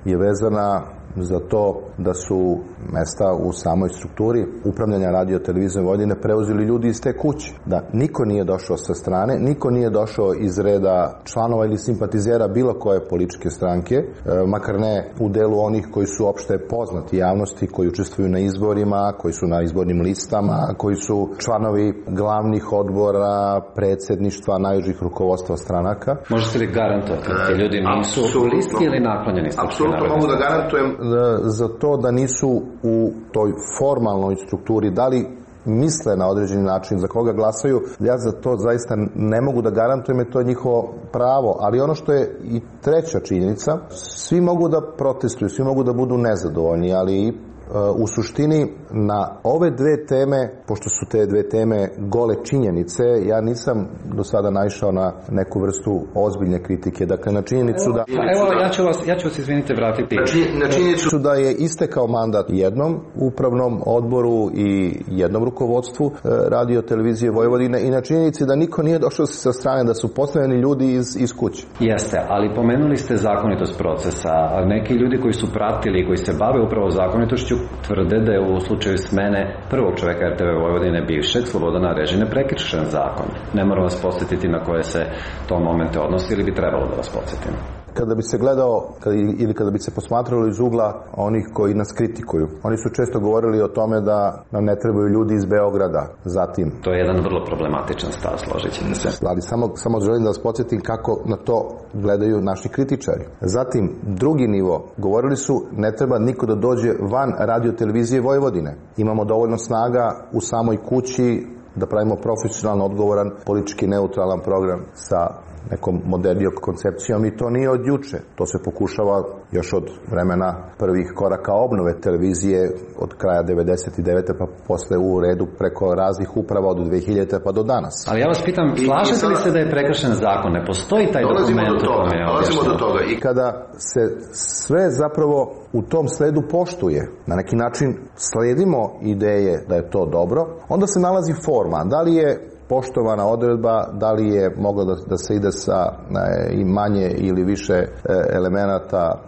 je vezana za to da su mesta u samoj strukturi upravljanja radio televizijom Vojvodine preuzeli ljudi iz te kuće. Da niko nije došao sa strane, niko nije došao iz reda članova ili simpatizera bilo koje političke stranke, makar ne u delu onih koji su opšte poznati javnosti, koji učestvuju na izborima, koji su na izbornim listama, koji su članovi glavnih odbora, predsjedništva, najužih rukovodstva stranaka. Možete li garantovati da ljudi nisu listi ili naklonjeni? Apsolutno mogu da garantujem za to da nisu u toj formalnoj strukturi, da li misle na određeni način za koga glasaju, ja za to zaista ne mogu da garantujem, jer to je njihovo pravo. Ali ono što je i treća činjenica, svi mogu da protestuju, svi mogu da budu nezadovoljni, ali u suštini na ove dve teme, pošto su te dve teme gole činjenice, ja nisam do sada naišao na neku vrstu ozbiljne kritike. Dakle, na činjenicu da... Evo, ja ću vas izvinite vratiti. Na činjenicu da je istekao mandat jednom upravnom odboru i jednom rukovodstvu radio televizije Vojvodine i na činjenici da niko nije došao sa strane, da su postavljeni ljudi iz kuće. Jeste, ali pomenuli ste zakonitost procesa. Neki ljudi koji su pratili, koji se bave upravo zakonitošću, tvrde da je u slučaju smene prvog čoveka RTV Vojvodine bivšeg Slobodana Režine prekršen zakon. Ne moram vas podsjetiti na koje se to momente odnosi ili bi trebalo da vas podsjetim. Kada bi se gledao ili kada bi se posmatralo iz ugla onih koji nas kritikuju, oni su često govorili o tome da nam ne trebaju ljudi iz Beograda. Zatim, to je jedan vrlo problematičan stav, složit ćete se. Ali samo želim da vas podsjetim kako na to gledaju naši kritičari. Zatim, drugi nivo, govorili su ne treba niko da dođe van radio televizije Vojvodine. Imamo dovoljno snaga u samoj kući da pravimo profesionalno odgovoran, politički neutralan program sa nekom modernijom koncepcijom i to nije od juče. To se pokušava još od vremena prvih koraka obnove televizije od kraja 99. pa posle u redu preko raznih uprava od 2000. pa do danas. Ali ja vas pitam, slažete li se da je prekršen zakon? Ne postoji taj dokument? Dolazimo do toga. I kada se sve zapravo u tom sledu poštuje, na neki način sledimo ideje da je to dobro, onda se nalazi forma. Da li je poštovana odredba, da li je moglo da se ide sa i manje ili više elemenata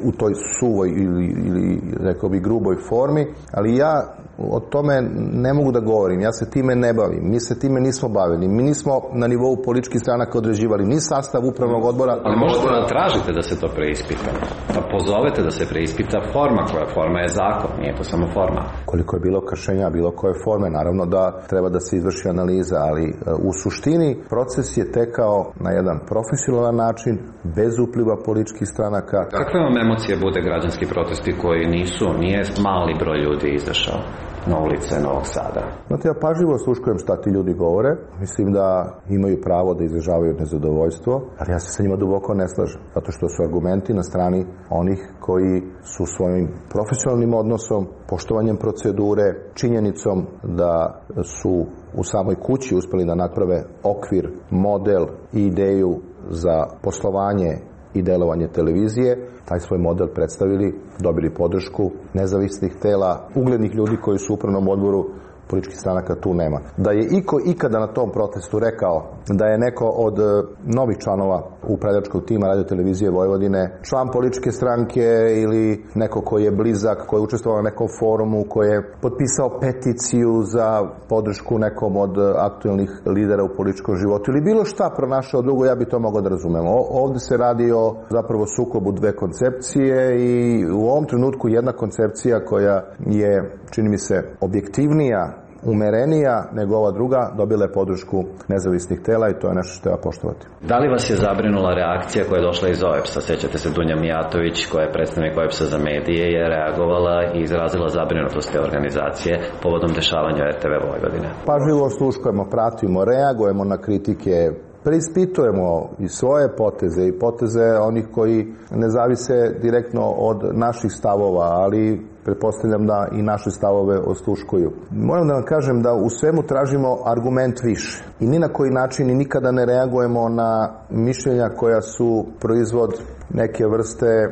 u toj suvoj ili rekao bi gruboj formi, ali ja o tome ne mogu da govorim, ja se time ne bavim, mi se time nismo bavili, mi nismo na nivou političkih stranaka određivali ni sastav upravnog odbora. Ali možete da tražite da se to preispita, da pozovete da se preispita forma, koja forma je zakon, nije to samo forma. Koliko je bilo kršenja bilo koje forme, naravno da treba da se izvrši analiza, ali u suštini proces je tekao na jedan profesionalan način, bez upliva političkih stranaka. Kakve vam emocije bude građanski protesti koji nije mali broj ljudi izašao na ulice Novog Sada? Znate, ja pažljivo sluškujem šta ti ljudi govore. Mislim da imaju pravo da izražavaju nezadovoljstvo, ali ja se sa njima duboko ne slažem, zato što su argumenti na strani onih koji su svojim profesionalnim odnosom, poštovanjem procedure, činjenicom da su u samoj kući uspeli da naprave okvir, model i ideju za poslovanje i delovanje televizije, taj svoj model predstavili, dobili podršku nezavisnih tela, uglednih ljudi koji su u upravnom odboru političkih stranaka, tu nema. Da je iko ikada na tom protestu rekao da je neko od novih članova upravljačkog tima Radio-televizije Vojvodine član političke stranke ili neko koji je blizak, koji je učestvovao na nekom forumu, koji je potpisao peticiju za podršku nekom od aktuelnih lidera u političkom životu ili bilo šta pronašao drugo, ja bi to mogao da razumem. Ovde se radi o zapravo sukobu dve koncepcije i u ovom trenutku jedna koncepcija koja je, čini mi se, objektivnija, umerenija nego ova druga, dobila je podršku nezavisnih tela i to je nešto što treba poštovati. Da li vas je zabrinula reakcija koja je došla iz OEBS-a? Sećate se, Dunja Mijatović, koja je predstavnik OEBS-a za medije, je reagovala i izrazila zabrinutost te organizacije povodom dešavanja RTV Vojvodine. Pažljivo sluškujemo, pratimo, reagujemo na kritike, preispitujemo i svoje poteze i poteze onih koji ne zavise direktno od naših stavova, ali pretpostavljam da i naše stavove osluškuju. Moram da vam kažem da u svemu tražimo argument više i ni na koji način i nikada ne reagujemo na mišljenja koja su proizvod neke vrste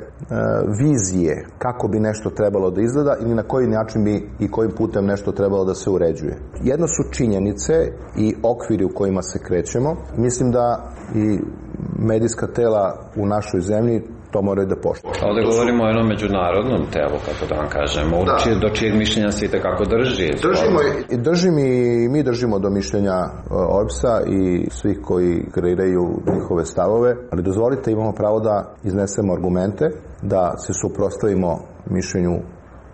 vizije kako bi nešto trebalo da izgleda ili na koji način bi i kojim putem nešto trebalo da se uređuje. Jedno su činjenice i okviri u kojima se krećemo. Mislim da i medijska tela u našoj zemlji to moraju da poštuju. Ovde govorimo o jednom međunarodnom telu, kako da vam kažemo, do čijeg mišljenja se itekako drži. Mi držimo do mišljenja OEBS-a i svih koji kreiraju njihove stavove, ali dozvolite, imamo pravo da iznesemo argumente, da se suprotstavimo mišljenju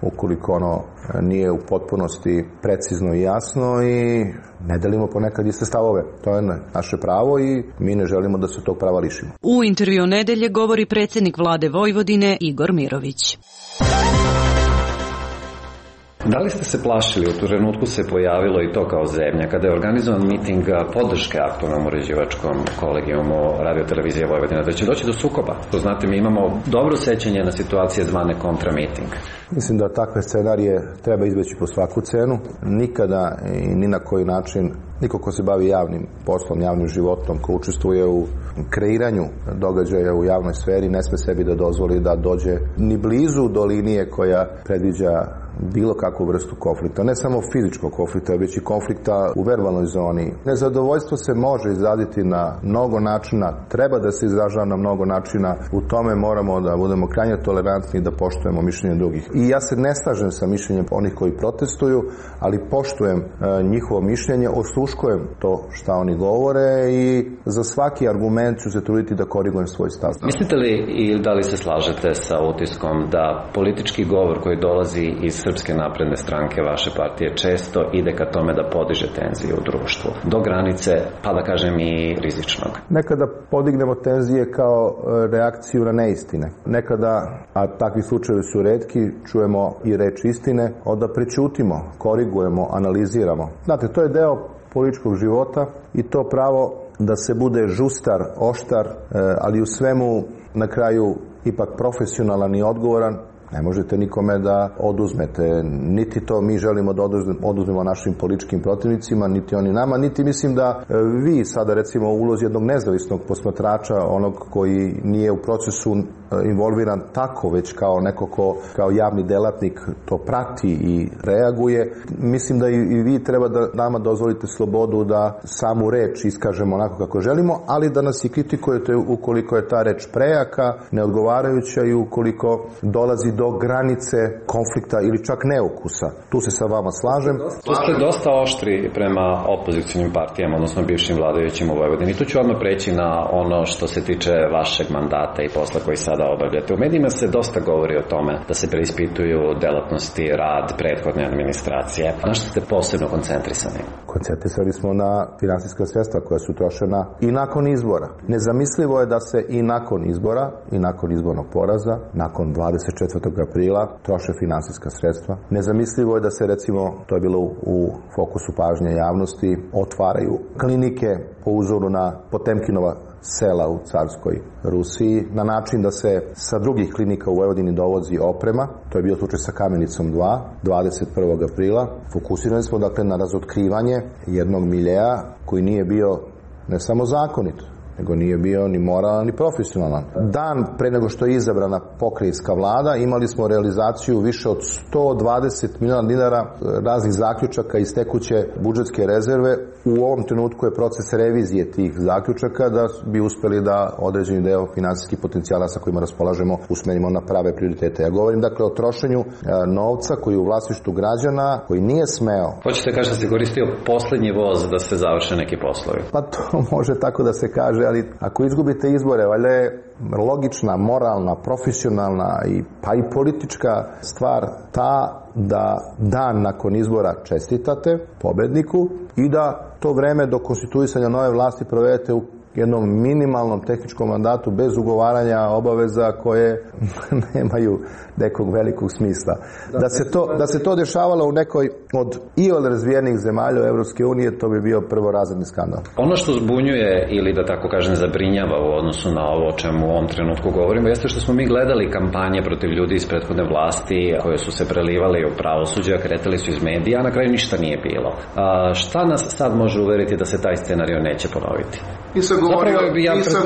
ukoliko ono nije u potpunosti precizno i jasno i ne delimo ponekad iste stavove. To je naše pravo i mi ne želimo da se tog prava lišimo. U intervju nedelje govori predsjednik vlade Vojvodine Igor Mirović. Da li ste se plašili, u tu trenutku se pojavilo i to kao zemlja, kada je organizovan miting podrške aktualnom uređivačkom kolegijumu Radio-televizije Vojvodina, da će doći do sukoba? To znate, mi imamo dobro sećanje na situacije zvane kontramiting. Mislim da takve scenarije treba izbeći po svaku cenu. Nikada i ni na koji način niko ko se bavi javnim poslom, javnim životom, ko učestvuje u kreiranju događaja u javnoj sferi, ne sme sebi da dozvoli da dođe ni blizu do linije koja predviđa bilo kakvu vrstu konflikta. Ne samo fizičkog konflikta, već i konflikta u verbalnoj zoni. Nezadovoljstvo se može izraditi na mnogo načina, treba da se izražava na mnogo načina. U tome moramo da budemo krajnje tolerantni i da poštujemo mišljenje drugih. I ja se ne slažem sa mišljenjem onih koji protestuju, ali poštujem njihovo mišljenje, osluškujem to šta oni govore i za svaki argument ću se truditi da korigujem svoj stav. Mislite li i da li se slažete sa utiskom da politički govor koji dolazi iz Srpske napredne stranke, vaše partije, često ide ka tome da podiže tenzije u društvu, do granice, pa da kažem i rizičnog? Nekada podignemo tenzije kao reakciju na neistine. Nekada, a takvi slučajevi su retki, čujemo i reč istine, onda prećutimo, korigujemo, analiziramo. Znate, to je deo političkog života i to pravo da se bude žustar, oštar, ali u svemu na kraju ipak profesionalan i odgovoran, ne možete nikome da oduzmete. Niti to mi želimo da oduzmemo našim političkim protivnicima, niti oni nama, niti mislim da vi sada recimo u ulozi jednog nezavisnog posmatrača, onog koji nije u procesu involviran tako, već kao neko ko kao javni delatnik to prati i reaguje. Mislim da i vi treba da nama dozvolite slobodu da samu reč iskažemo onako kako želimo, ali da nas i kritikujete ukoliko je ta reč prejaka, neodgovarajuća i ukoliko dolazi do do granice konflikta ili čak neukusa. Tu se sa vama slažem. Tu ste dosta oštri prema opozicionim partijama, odnosno bivšim vladajućim u Vojvodini. Tu ću odmah preći na ono što se tiče vašeg mandata i posla koji sada obavljate. U medijima se dosta govori o tome da se preispituju delatnosti, rad prethodne administracije. Na što ste posebno koncentrisani? Koncentrisali smo na finansijska sredstva koja su trošena i nakon izbora. Nezamislivo je da se i nakon izbora i nakon izbornog poraza, nakon 24. aprila troše finansijska sredstva. Nezamislivo je da se, recimo, to je bilo u fokusu pažnje javnosti, otvaraju klinike po uzoru na Potemkinova sela u carskoj Rusiji, na način da se sa drugih klinika u Vojvodini dovozi oprema. To je bio slučaj sa Kamenicom 2, 21. aprila. Fokusirani smo dakle na razotkrivanje jednog miljeja koji nije bio ne samo zakonit, nego nije bio ni moralan ni profesionalan. Dan pre nego što je izabrana pokrajinska vlada, imali smo realizaciju više od 120 miliona dinara raznih zaključaka iz tekuće budžetske rezerve. U ovom trenutku je proces revizije tih zaključaka da bi uspeli da određeni deo finansijskih potencijala sa kojima raspolažemo usmerimo na prave prioritete. Ja govorim dakle o trošenju novca koji je u vlasništvu građana, koji nije smeo. Hoćete kažete da se koristio poslednji voz da se završe neki poslovi? Pa to može tako da se kaže, ali ako izgubite izbore, valjda je logična, moralna, profesionalna pa i politička stvar ta da dan nakon izbora čestitate pobedniku i da to vreme do konstituisanja nove vlasti provedete u jednom minimalnom tehničkom mandatu bez ugovaranja obaveza koje nemaju nekog velikog smisla. Da se to dešavalo u nekoj od iole razvijenih zemalja Evropske unije, to bi bio prvorazredni skandal. Ono što zbunjuje ili da tako kažem zabrinjava u odnosu na ovo o čemu u ovom trenutku govorimo jeste što smo mi gledali kampanje protiv ljudi iz prethodne vlasti koje su se prelivali u pravosuđe, kretali su iz medija, a na kraju ništa nije bilo. Šta nas sad može uveriti da se taj scenario neće ponoviti? Nisam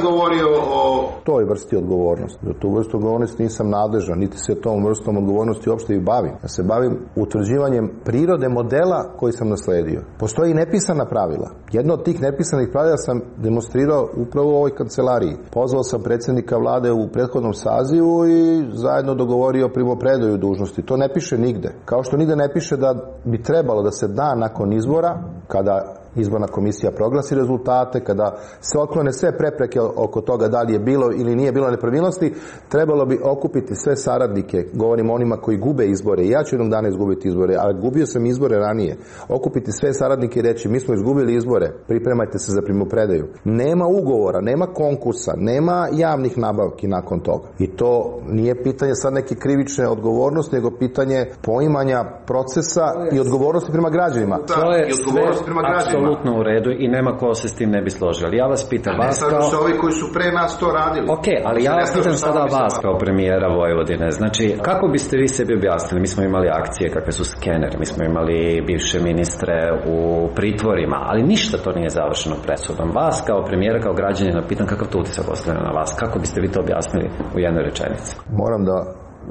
govorio o toj vrsti odgovornosti. Za tu vrstu odgovornosti nisam nadležan, niti se tom vrstom odgovornosti uopšte i bavim. Ja se bavim utvrđivanjem prirode modela koji sam nasledio. Postoji nepisana pravila. Jedno od tih nepisanih pravila sam demonstrirao upravo u ovoj kancelariji. Pozvao sam predsjednika vlade u prethodnom sazivu i zajedno dogovorio primopredaju dužnosti. To ne piše nigde. Kao što nigde ne piše da bi trebalo da se dan nakon izbora, kada izborna komisija proglasi rezultate, kada se otklone sve prepreke oko toga da li je bilo ili nije bilo nepravilnosti, trebalo bi okupiti sve saradnike, govorim o onima koji gube izbore, i ja ću jednog dana izgubiti izbore, ali gubio sam izbore ranije, okupiti sve saradnike i reći mi smo izgubili izbore, pripremajte se za primopredaju. Nema ugovora, nema konkursa, nema javnih nabavki nakon toga. I to nije pitanje sad neke krivične odgovornosti, nego pitanje poimanja procesa i odgovornosti prema građanima. To je sve apsolutno u redu i nema ko se s tim ne bi složio. Ali ja vas pitam, vas kao... su ovi koji su pre nas to radili. Ok, ali ja vas pitam sada vas kao premijera Vojvodine. Znači, kako biste vi sebi objasnili? Mi smo imali akcije kakve su Skener, mi smo imali bivše ministre u pritvorima, ali ništa to nije završeno presudom. Vas kao premijera, kao građanina, pitam kakav to utisak ostavlja na vas? Kako biste vi to objasnili u jednoj rečenici? Moram da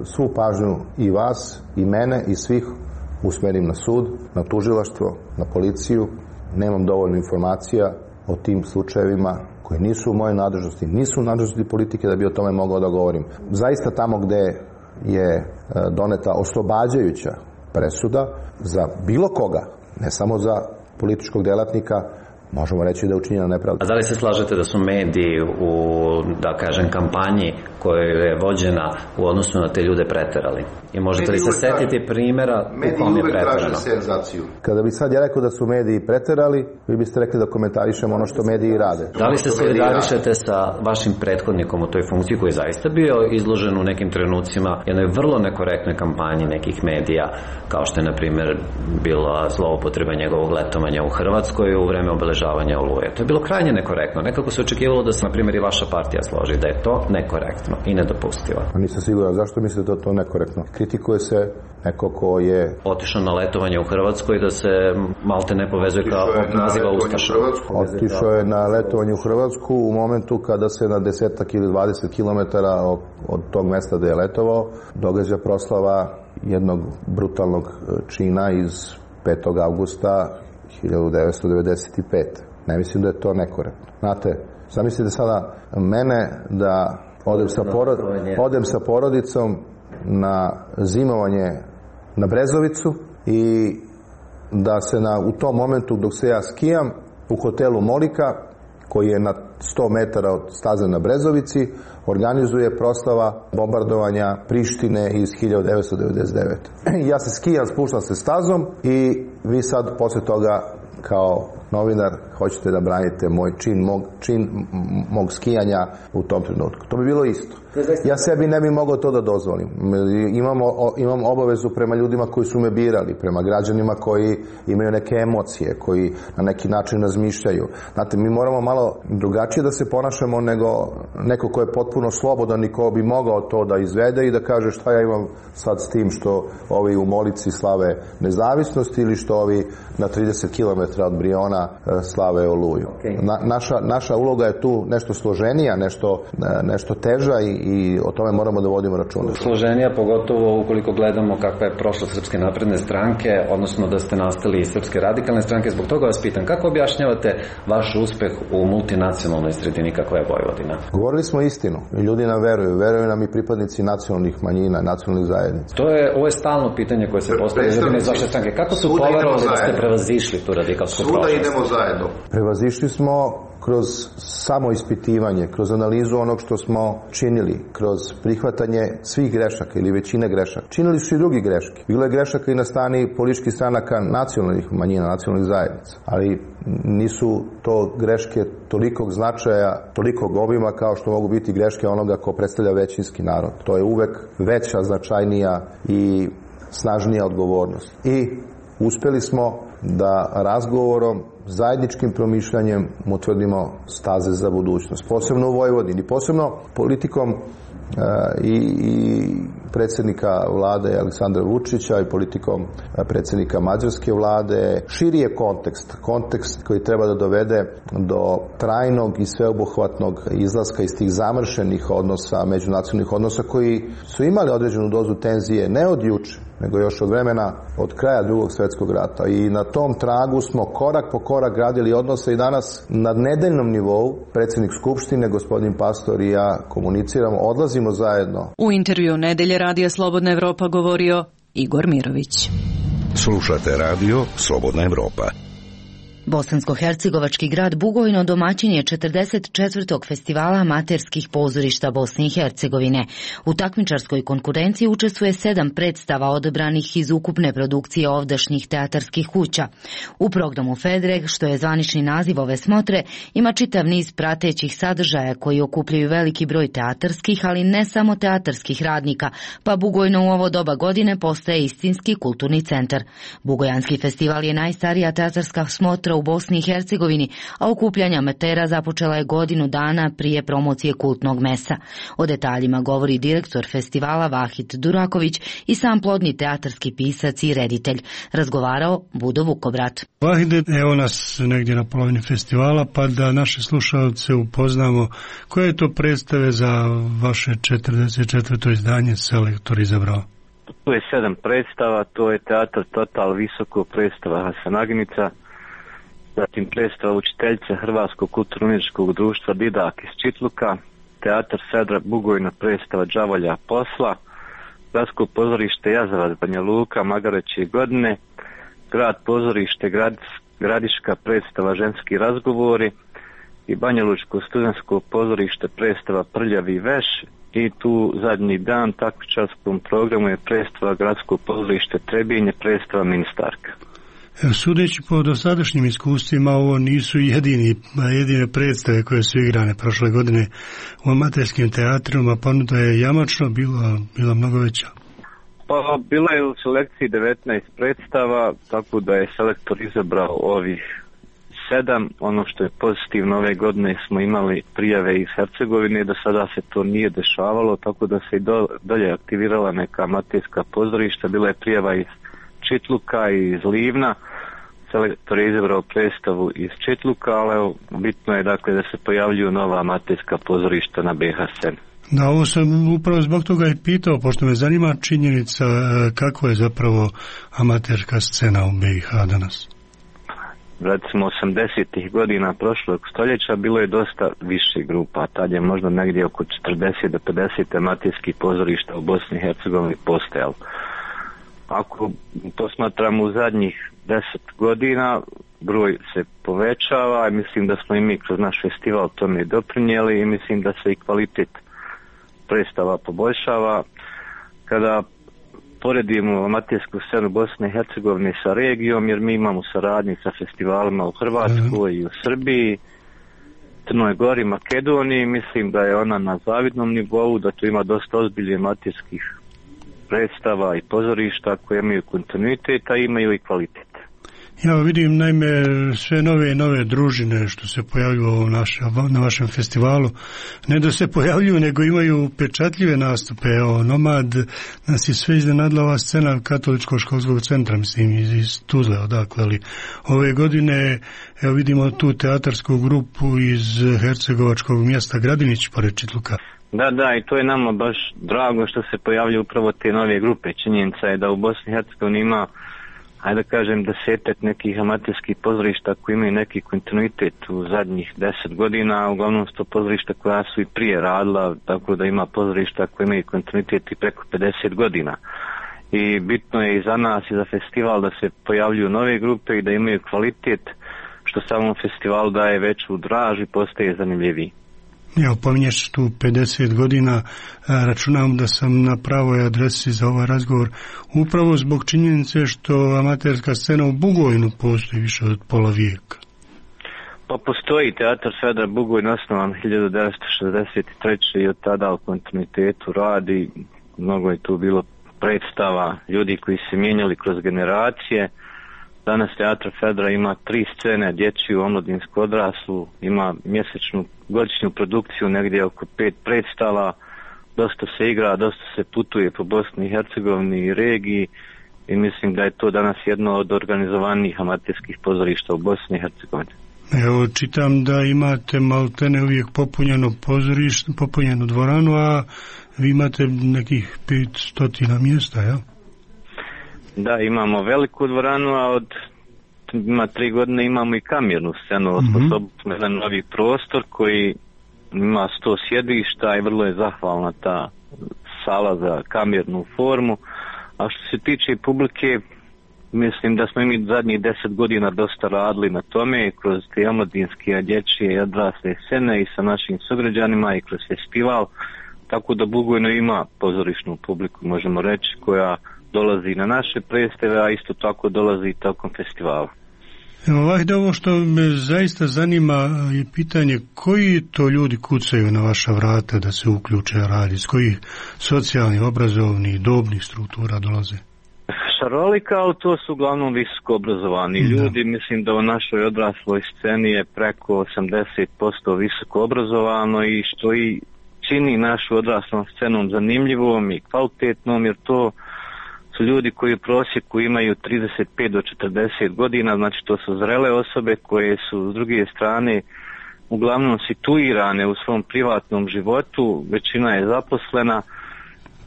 svu pažnju i vas, i mene, i svih usmerim na sud, na tužilaštvo, na policiju. Nemam dovoljno informacija o tim slučajevima koji nisu u mojoj nadležnosti, nisu u nadležnosti politike da bi o tome mogao da govorim. Zaista tamo gde je doneta oslobađajuća presuda za bilo koga, ne samo za političkog delatnika, možemo reći da je učinjena nepravda. A da li se slažete da su mediji u, da kažem, kampanji koja je vođena u odnosu na te ljude preterali? I možete li se setiti primjera u kom je preterano? Kada bi sad ja rekao da su mediji preterali, vi biste rekli da komentarišemo ono što mediji rade. Da li se solidarišete sa vašim prethodnikom u toj funkciji koji je zaista bio izložen u nekim trenucima jednoj vrlo nekorektnoj kampanji nekih medija, kao što je, na primjer, bila zloupotreba njegovog letovanja u Hrvatskoj u vreme obeležavanja Oluje. To je bilo krajnje nekorektno. Nekako se očekivalo da se, na primjer, i vaša partija složi da je to nekorektno i nedopustivo. Nisam siguran. Zašto mislite da je to nekorektno? Kritikuje se neko ko je otišao na letovanje u Hrvatskoj da se malte ne povezuje kao naziva Ustaša. Otišao je na letovanje u Hrvatsku u momentu kada se na 10 ili 20 kilometara od tog mesta da je letovao događa proslava jednog brutalnog čina iz 5. avgusta 1995. Ne mislim da je to nekorektno. Znate, zamislite sada mene da odem sa porodicom na zimovanje na Brezovicu i da se u tom momentu dok se ja skijam u hotelu Molika, koji je na 100 metara od staze na Brezovici, organizuje proslava bombardovanja Prištine iz 1999. Ja se skijam, spuštam se stazom i vi sad posle toga kao novinar hoćete da branite moj čin mog skijanja u tom trenutku. To bi bilo isto. Ja sebi ne bi mogao to da dozvolim. Imam obavezu prema ljudima koji su me birali, prema građanima koji imaju neke emocije, koji na neki način razmišljaju. Znate, mi moramo malo drugačije da se ponašamo nego neko ko je potpuno slobodan i ko bi mogao to da izvede i da kaže šta ja imam sad s tim što ovi u Molici slave nezavisnost ili što ovi na 30 km od Briona slave Oluju. Naša uloga je tu nešto složenija, nešto teža i o tome moramo da vodimo računa. Složenija, pogotovo ukoliko gledamo kakva je prošlost Srpske napredne stranke, odnosno da ste nastali iz Srpske radikalne stranke. Zbog toga vas pitam, kako objašnjavate vaš uspeh u multinacionalnoj sredini kakva je Vojvodina? Govorili smo istinu i ljudi nam veruju nam i pripadnici nacionalnih manjina, nacionalnih zajednica. Ovo je stalno pitanje koje se postavlja ljudima iz vaše stranke. Kako su poverovali da ste prevazišli tu radikalsku prošlost? Svuda idemo zajedno. Prevazišli smo kroz samoispitivanje, kroz analizu onog što smo činili, kroz prihvatanje svih grešaka ili većine grešaka. Činili su i drugi greške. Bilo je grešaka i na strani političkih stranaka nacionalnih manjina, nacionalnih zajednica. Ali nisu to greške tolikog značaja, tolikog obima kao što mogu biti greške onoga ko predstavlja većinski narod. To je uvek veća, značajnija i snažnija odgovornost. I uspeli smo da razgovorom, zajedničkim promišljanjem utvrdimo staze za budućnost. Posebno u Vojvodini, posebno politikom i predsjednika vlade Aleksandra Vučića i politikom predsjednika mađarske vlade. Širi je kontekst koji treba da dovede do trajnog i sveobuhvatnog izlaska iz tih zamršenih odnosa, međunacionalnih odnosa koji su imali određenu dozu tenzije ne od juče, nego još od vremena od kraja Drugog svjetskog rata. I na tom tragu smo korak po korak gradili odnose i danas na nedeljnom nivou predsjednik Skupštine, gospodin Pastor i ja komuniciramo, odlazimo zajedno. U intervju Nedelje Radija Slobodna Evropa govorio Igor Mirović. Slušate radio Slobodna Evropa. Bosansko-hercegovački grad Bugojno domaćin je 44. festivala amaterskih pozorišta Bosne i Hercegovine. U takmičarskoj konkurenciji učestvuje 7 predstava odabranih iz ukupne produkcije ovdašnjih teatarskih kuća. U programu Fedreg, što je zvanični naziv ove smotre, ima čitav niz pratećih sadržaja koji okupljaju veliki broj teatarskih, ali ne samo teatarskih radnika, pa Bugojno u ovo doba godine postaje istinski kulturni centar. Bugojanski festival je najstarija teatarska smotra u Bosni i Hercegovini, a okupljanje amatera započela je godinu dana prije promocije kultnog mesa. O detaljima govori direktor festivala Vahid Duraković i sam plodni teatarski pisac i reditelj. Razgovarao Budo Vukobrat. Vahide, evo nas negdje na polovini festivala, pa da naše slušalce upoznamo koje je to predstave za vaše 44. izdanje selektor izabrao. To je 7 predstava, to je Teatar Total Visoko, predstava Hasan Agnica, zatim predstava Učiteljica Hrvatskog kulturno-umjetničkog društva Didak iz Čitluka, Teatar Sedra Bugojno, predstava Đavolja posla, Gradsko pozorište Jazavac Banja Luka, Magareće godine, Grad pozorište Gradiška, predstava Ženski razgovori i Banjalučko studentsko pozorište, predstava Prljavi veš. I tu zadnji dan takmičarskom programu je predstava Gradsko pozorište Trebinje, predstava Ministarka. Sudeći po dosadašnjim iskustvima, ovo nisu jedine predstave koje su igrane prošle godine u amaterskim teatrima, ponuda je jamačno bila mnogo veća. Pa bilo je u selekciji 19 predstava, tako da je selektor izabrao ovih 7. Ono što je pozitivno, ove godine smo imali prijave iz Hercegovine, do sada se to nije dešavalo, tako da se i dolje aktivirala neka amaterska pozorišta, bila je prijava iz Čitluka i iz Livna. Selektor je izabrao predstavu iz Čitluka, ali evo, bitno je dakle da se pojavljuju nova amaterska pozorišta na BiH sceni. Da, ovo sam upravo zbog toga i pitao, pošto me zanima činjenica kakva je zapravo amaterska scena u BiH danas. recimo 80-ih godina prošlog stoljeća bilo je dosta više grupa, tad je možda negdje oko 40 do 50 amaterskih pozorišta u Bosni i Hercegovini postojalo. Ako posmatramo u zadnjih 10 godina, broj se povećava i mislim da smo i mi kroz naš festival tome doprinijeli i mislim da se i kvalitet predstava poboljšava. Kada poredimo amatersku scenu Bosne i Hercegovine sa regijom, jer mi imamo saradnji sa festivalima u Hrvatskoj i u Srbiji, Crnoj Gori, Makedoniji, mislim da je ona na zavidnom nivou, da tu ima dosta ozbiljnih amaterskih predstava i pozorišta koje imaju kontinuitet, a imaju i kvalitet. Ja vidim naime sve nove družine što se pojavljuju na vašem festivalu, ne da se pojavljuju, nego imaju pečatljive nastupe. Evo, Nomad nas je sve iznenadila ova scena Katoličkog školskog centra, mislim iz Tuzle, odakle, ali ove godine evo vidimo tu teatarsku grupu iz hercegovačkog mjesta Gradinić pored Čitluka. Da, i to je nama baš drago što se pojavljaju upravo te nove grupe. Činjenica je da u Bosni i Hercegovini ima, ajde da kažem, 10 nekih amaterskih pozorišta koji imaju neki kontinuitet u zadnjih 10 godina, uglavnom su to pozorišta koja su i prije radila, tako da ima pozorišta koji imaju kontinuitet i preko 50 godina. I bitno je i za nas i za festival da se pojavljuju nove grupe i da imaju kvalitet, što samom festivalu daje veću draž i postaje zanimljiviji. Evo, pominješ tu 50 godina, računam da sam na pravoj adresi za ovaj razgovor, upravo zbog činjenice što amaterska scena u Bugojnu postoji više od pola vijeka. Pa postoji Teatar Fedra Bugojn, osnovan 1963. i od tada u kontinuitetu radi. Mnogo je tu bilo predstava, ljudi koji se mijenjali kroz generacije. Danas Teatr Fedra ima 3 scene, dječju, omladinsku, odraslu, ima mjesečnu godišnju produkciju, negdje oko 5 predstava, dosta se igra, dosta se putuje po Bosni i Hercegovini i regiji i mislim da je to danas jedno od organizovanijih amaterskih pozorišta u Bosni i Hercegovini. Evo, čitam da imate maltene uvijek popunjeno pozorište, popunjenu dvoranu, a vi imate nekih 500 mjesta, ja? Da, imamo veliku dvoranu, a ima 3 godine imamo i kamernu scenu, osposobili smo jedan novi prostor koji ima 100 sjedišta i vrlo je zahvalna ta sala za kamernu formu. A što se tiče publike, mislim da smo mi zadnjih 10 godina dosta radili na tome kroz te omladinske, dječje i odrasle scene i sa našim sugrađanima i kroz festival, tako da Bugojno ima pozorišnu publiku, možemo reći, koja dolazi na naše predstave, a isto tako dolazi i tokom festivala. Evo, ovo što me zaista zanima je pitanje koji to ljudi kucaju na vaša vrata da se uključe radi, s kojih socijalnih, obrazovnih, dobnih struktura dolaze? Šarolika, ali to su uglavnom visoko obrazovani ljudi. Mislim da u našoj odrasloj sceni je preko 80% visoko obrazovano i što i čini našu odraslom scenom zanimljivom i kvalitetnom, jer to su ljudi koji u prosjeku imaju 35 do 40 godina, znači to su zrele osobe koje su s druge strane uglavnom situirane u svom privatnom životu, većina je zaposlena,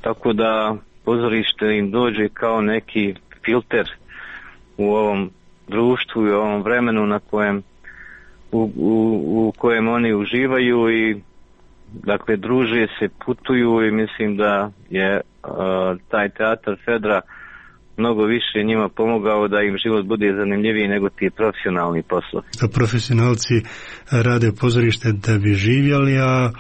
tako da pozorište im dođe kao neki filter u ovom društvu i u ovom vremenu na kojem u kojem oni uživaju i dakle druže se, putuju i mislim da je taj Teatar Fedra mnogo više njima pomogao da im život bude zanimljiviji nego ti profesionalni poslovi. Da profesionalci rade pozorište da bi živjeli, a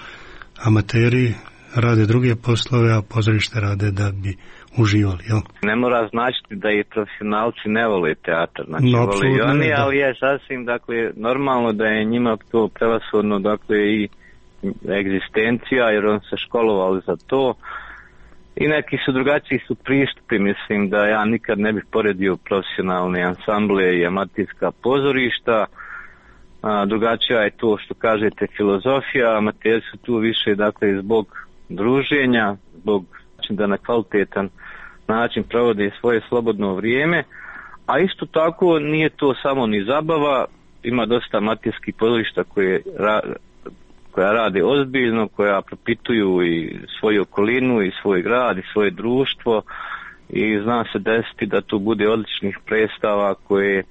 amateri rade druge poslove, a pozorište rade da bi uživali, jel? Ne mora značiti da i profesionalci ne vole teatar, znači vole i oni, ali je sasvim, dakle, normalno da je njima to prevashodno, dakle, i egzistencija, jer on se školovali za to i neki su drugačiji su pristupi, mislim da ja nikad ne bih poredio profesionalne ansamble i amaterska pozorišta. Drugačija je to što kažete filozofija, amateri su tu više, dakle, zbog druženja, zbog da na kvalitetan način provode svoje slobodno vrijeme, a isto tako nije to samo ni zabava, ima dosta amaterskih pozorišta koja rade ozbiljno, koja propituju i svoju okolinu i svoj grad i svoje društvo i zna se desiti da tu bude odličnih predstava koje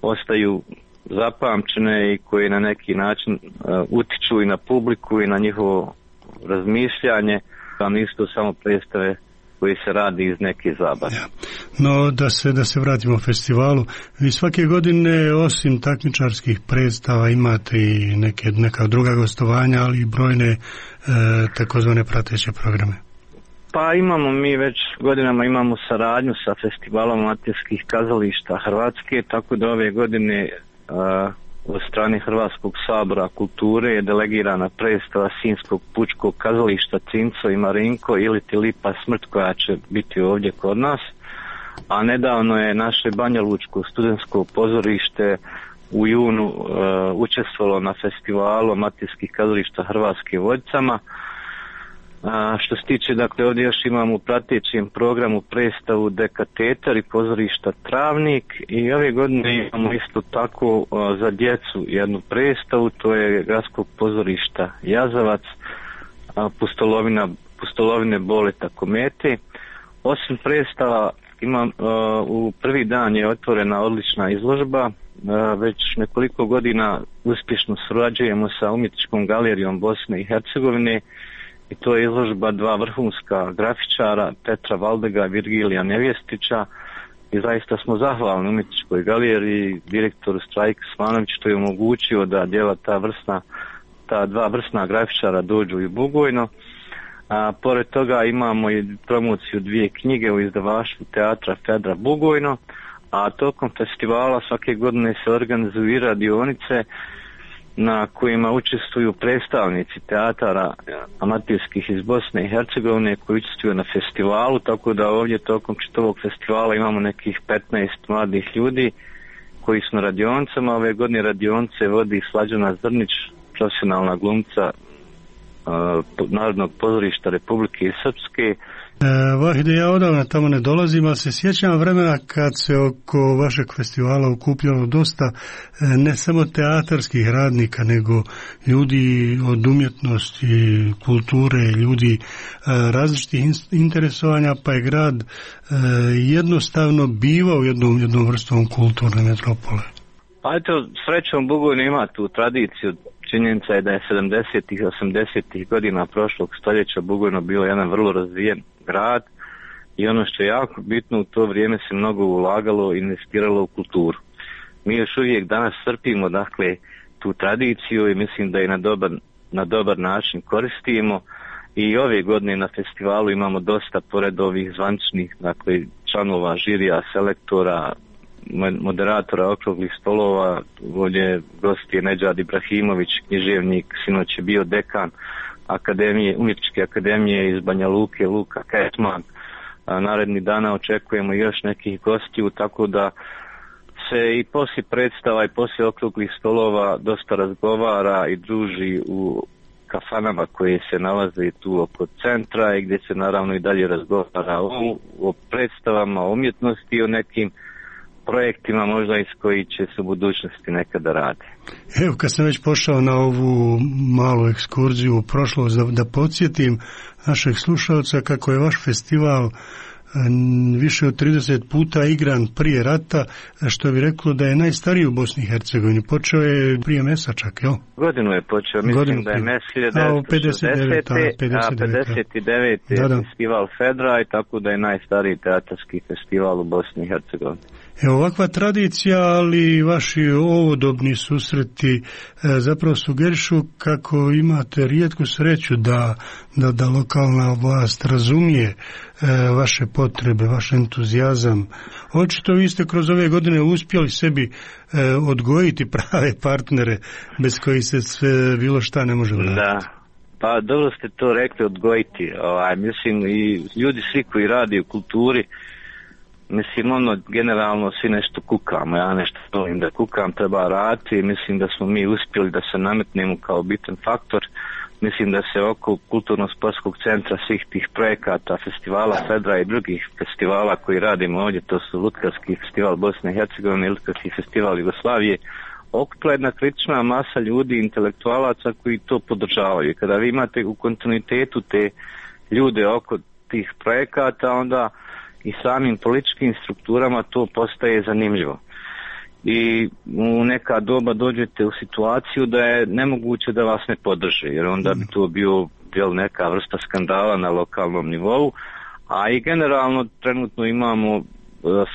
ostaju zapamćene i koje na neki način utiču i na publiku i na njihovo razmišljanje, a nisu to samo predstave koji se radi iz neke zabave. Ja. No, da se vratimo festivalu, vi svake godine osim takmičarskih predstava imate i neka druga gostovanja, ali i brojne takozvane prateće programe. Pa imamo mi već godinama imamo saradnju sa Festivalom amaterskih kazališta Hrvatske, tako da ove godine od strane Hrvatskog sabora kulture je delegirana predstava Sinjskog pučkog kazališta Cinco i Marinko ili ti Lipa smrt, koja će biti ovdje kod nas. A nedavno je naše Banjalučko studentsko pozorište u junu učestvovalo na festivalu amaterskih kazališta Hrvatske Vodicama. Što se tiče, dakle, ovdje još imamo u pratećem programu predstavu Dekatetar i pozorišta Travnik, i ove godine imamo isto tako za djecu jednu predstavu, to je Gradskog pozorišta Jazavac, Pustolovine Boleta Komete. Osim predstava u prvi dan je otvorena odlična izložba, već nekoliko godina uspješno surađujemo sa Umjetničkom galerijom Bosne i Hercegovine, i to je izložba dva vrhunska grafičara, Petra Valdega i Virgilija Nevjestića, i zaista smo zahvalni Umjetničkoj galeriji, direktoru Strajku Svanoviću, što je omogućio da djela ta dva vrsna grafičara dođu i u Bugojno. Pored toga imamo i promociju dvije knjige u izdavaštvu teatra Fedra Bugojno, a tokom festivala svake godine se organizuju radionice na kojima učestvuju predstavnici teatara amaterskih iz Bosne i Hercegovine koji učestvuju na festivalu, tako da ovdje tokom čitavog festivala imamo nekih 15 mladih ljudi koji su na radionicama. Ove godine radionice vodi Slađana Zrnić, profesionalna glumca Narodnog pozorišta Republike Srpske. Vahide, ja odavno tamo ne dolazim, ali se sjećam vremena kad se oko vašeg festivala okupljalo dosta ne samo teatarskih radnika, nego ljudi od umjetnosti, kulture, ljudi različitih interesovanja, pa je grad jednostavno bivao jednom vrstom kulturne metropole. Pa eto, srećom Bugojno ima tu tradiciju. Činjenica je da je 70-ih, 80-ih godina prošlog stoljeća Bugojno bilo jedan vrlo razvijen grad, i ono što je jako bitno, u to vrijeme se mnogo ulagalo i investiralo u kulturu. Mi još uvijek danas crpimo, dakle, tu tradiciju, i mislim da je na dobar način koristimo, i ove godine na festivalu imamo dosta, pored ovih zvaničnih, dakle, članova žirija, selektora, moderatora okruglih stolova, ovdje gost je Nedžad Ibrahimović, književnik, sinoć je bio dekan Umjetničke akademije iz Banja Luke, Luka Ketman. Naredni dana očekujemo još nekih gostiju, tako da se i poslije predstava i poslije okruglih stolova dosta razgovara i druži u kafanama koje se nalaze tu oko centra, i gdje se naravno i dalje razgovara o predstavama, o umjetnosti i o nekim projektima možda iz koji će se u budućnosti nekada radi. Evo, kad sam već pošao na ovu malu ekskurziju u prošlost, da podsjetim našeg slušalca kako je vaš festival više od 30 puta igran prije rata, što bi reklo da je najstariji u Bosni i Hercegovini. Počeo je prije Mesa čak, jel? Godinu je počeo, mislim da je Mes 1960, a 59 je festival Fedra, i tako da je najstariji teatarski festival u Bosni i Hercegovini. Evo, ovakva tradicija, ali vaši ovodobni susreti zapravo sugerišu kako imate rijetku sreću da lokalna vlast razumije vaše potrebe, vaš entuzijazam. Očito vi ste kroz ove godine uspjeli sebi odgojiti prave partnere bez kojih se sve bilo šta ne može uraditi. Da, pa dobro ste to rekli, odgojiti. Mislim, i ljudi svi koji radi u kulturi, mislim, generalno svi nešto kukamo, ja nešto volim da kukam, treba raditi, mislim da smo mi uspjeli da se nametnemo kao bitan faktor. Mislim da se oko kulturno-sportskog centra svih tih projekata, festivala Fedra i drugih festivala koji radimo ovdje, to su Lutkarski festival Bosne i Hercegovine i Lutkarski festival Jugoslavije, okupila jedna kritična masa ljudi, intelektualaca koji to podržavaju. Kada vi imate u kontinuitetu te ljude oko tih projekata, onda i samim političkim strukturama to postaje zanimljivo. i u neka doba dođete u situaciju da je nemoguće da vas ne podrže, jer onda bi to bio neka vrsta skandala na lokalnom nivou, a i generalno trenutno imamo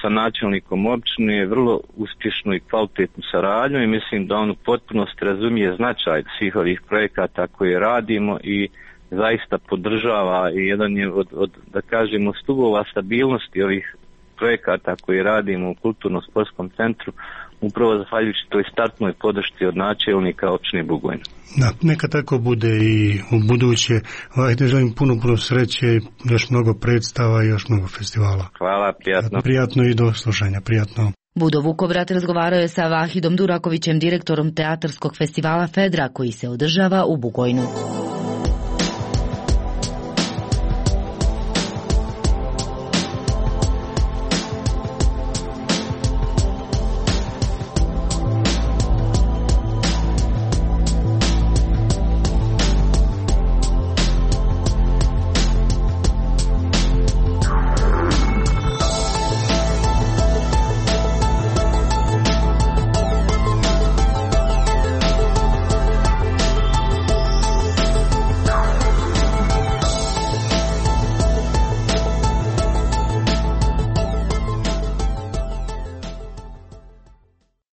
sa načelnikom općine vrlo uspješnu i kvalitetnu saradnju i mislim da on u potpunosti razumije značaj svih ovih projekata koje radimo i zaista podržava i jedan je od da kažemo stubova stabilnosti ovih projekata koje radimo u kulturno-sportskom centru upravo zahvaljujući toj startnoj podršci od načelnika općine Bugojna. Da, neka tako bude i u buduće. Te želim puno sreće, još mnogo predstava i još mnogo festivala. Hvala, prijatno. Prijatno i do slušanja, prijatno. Budo Vukovrat razgovarao je sa Vahidom Durakovićem, direktorom teatarskog festivala Fedra koji se održava u Bugojnu.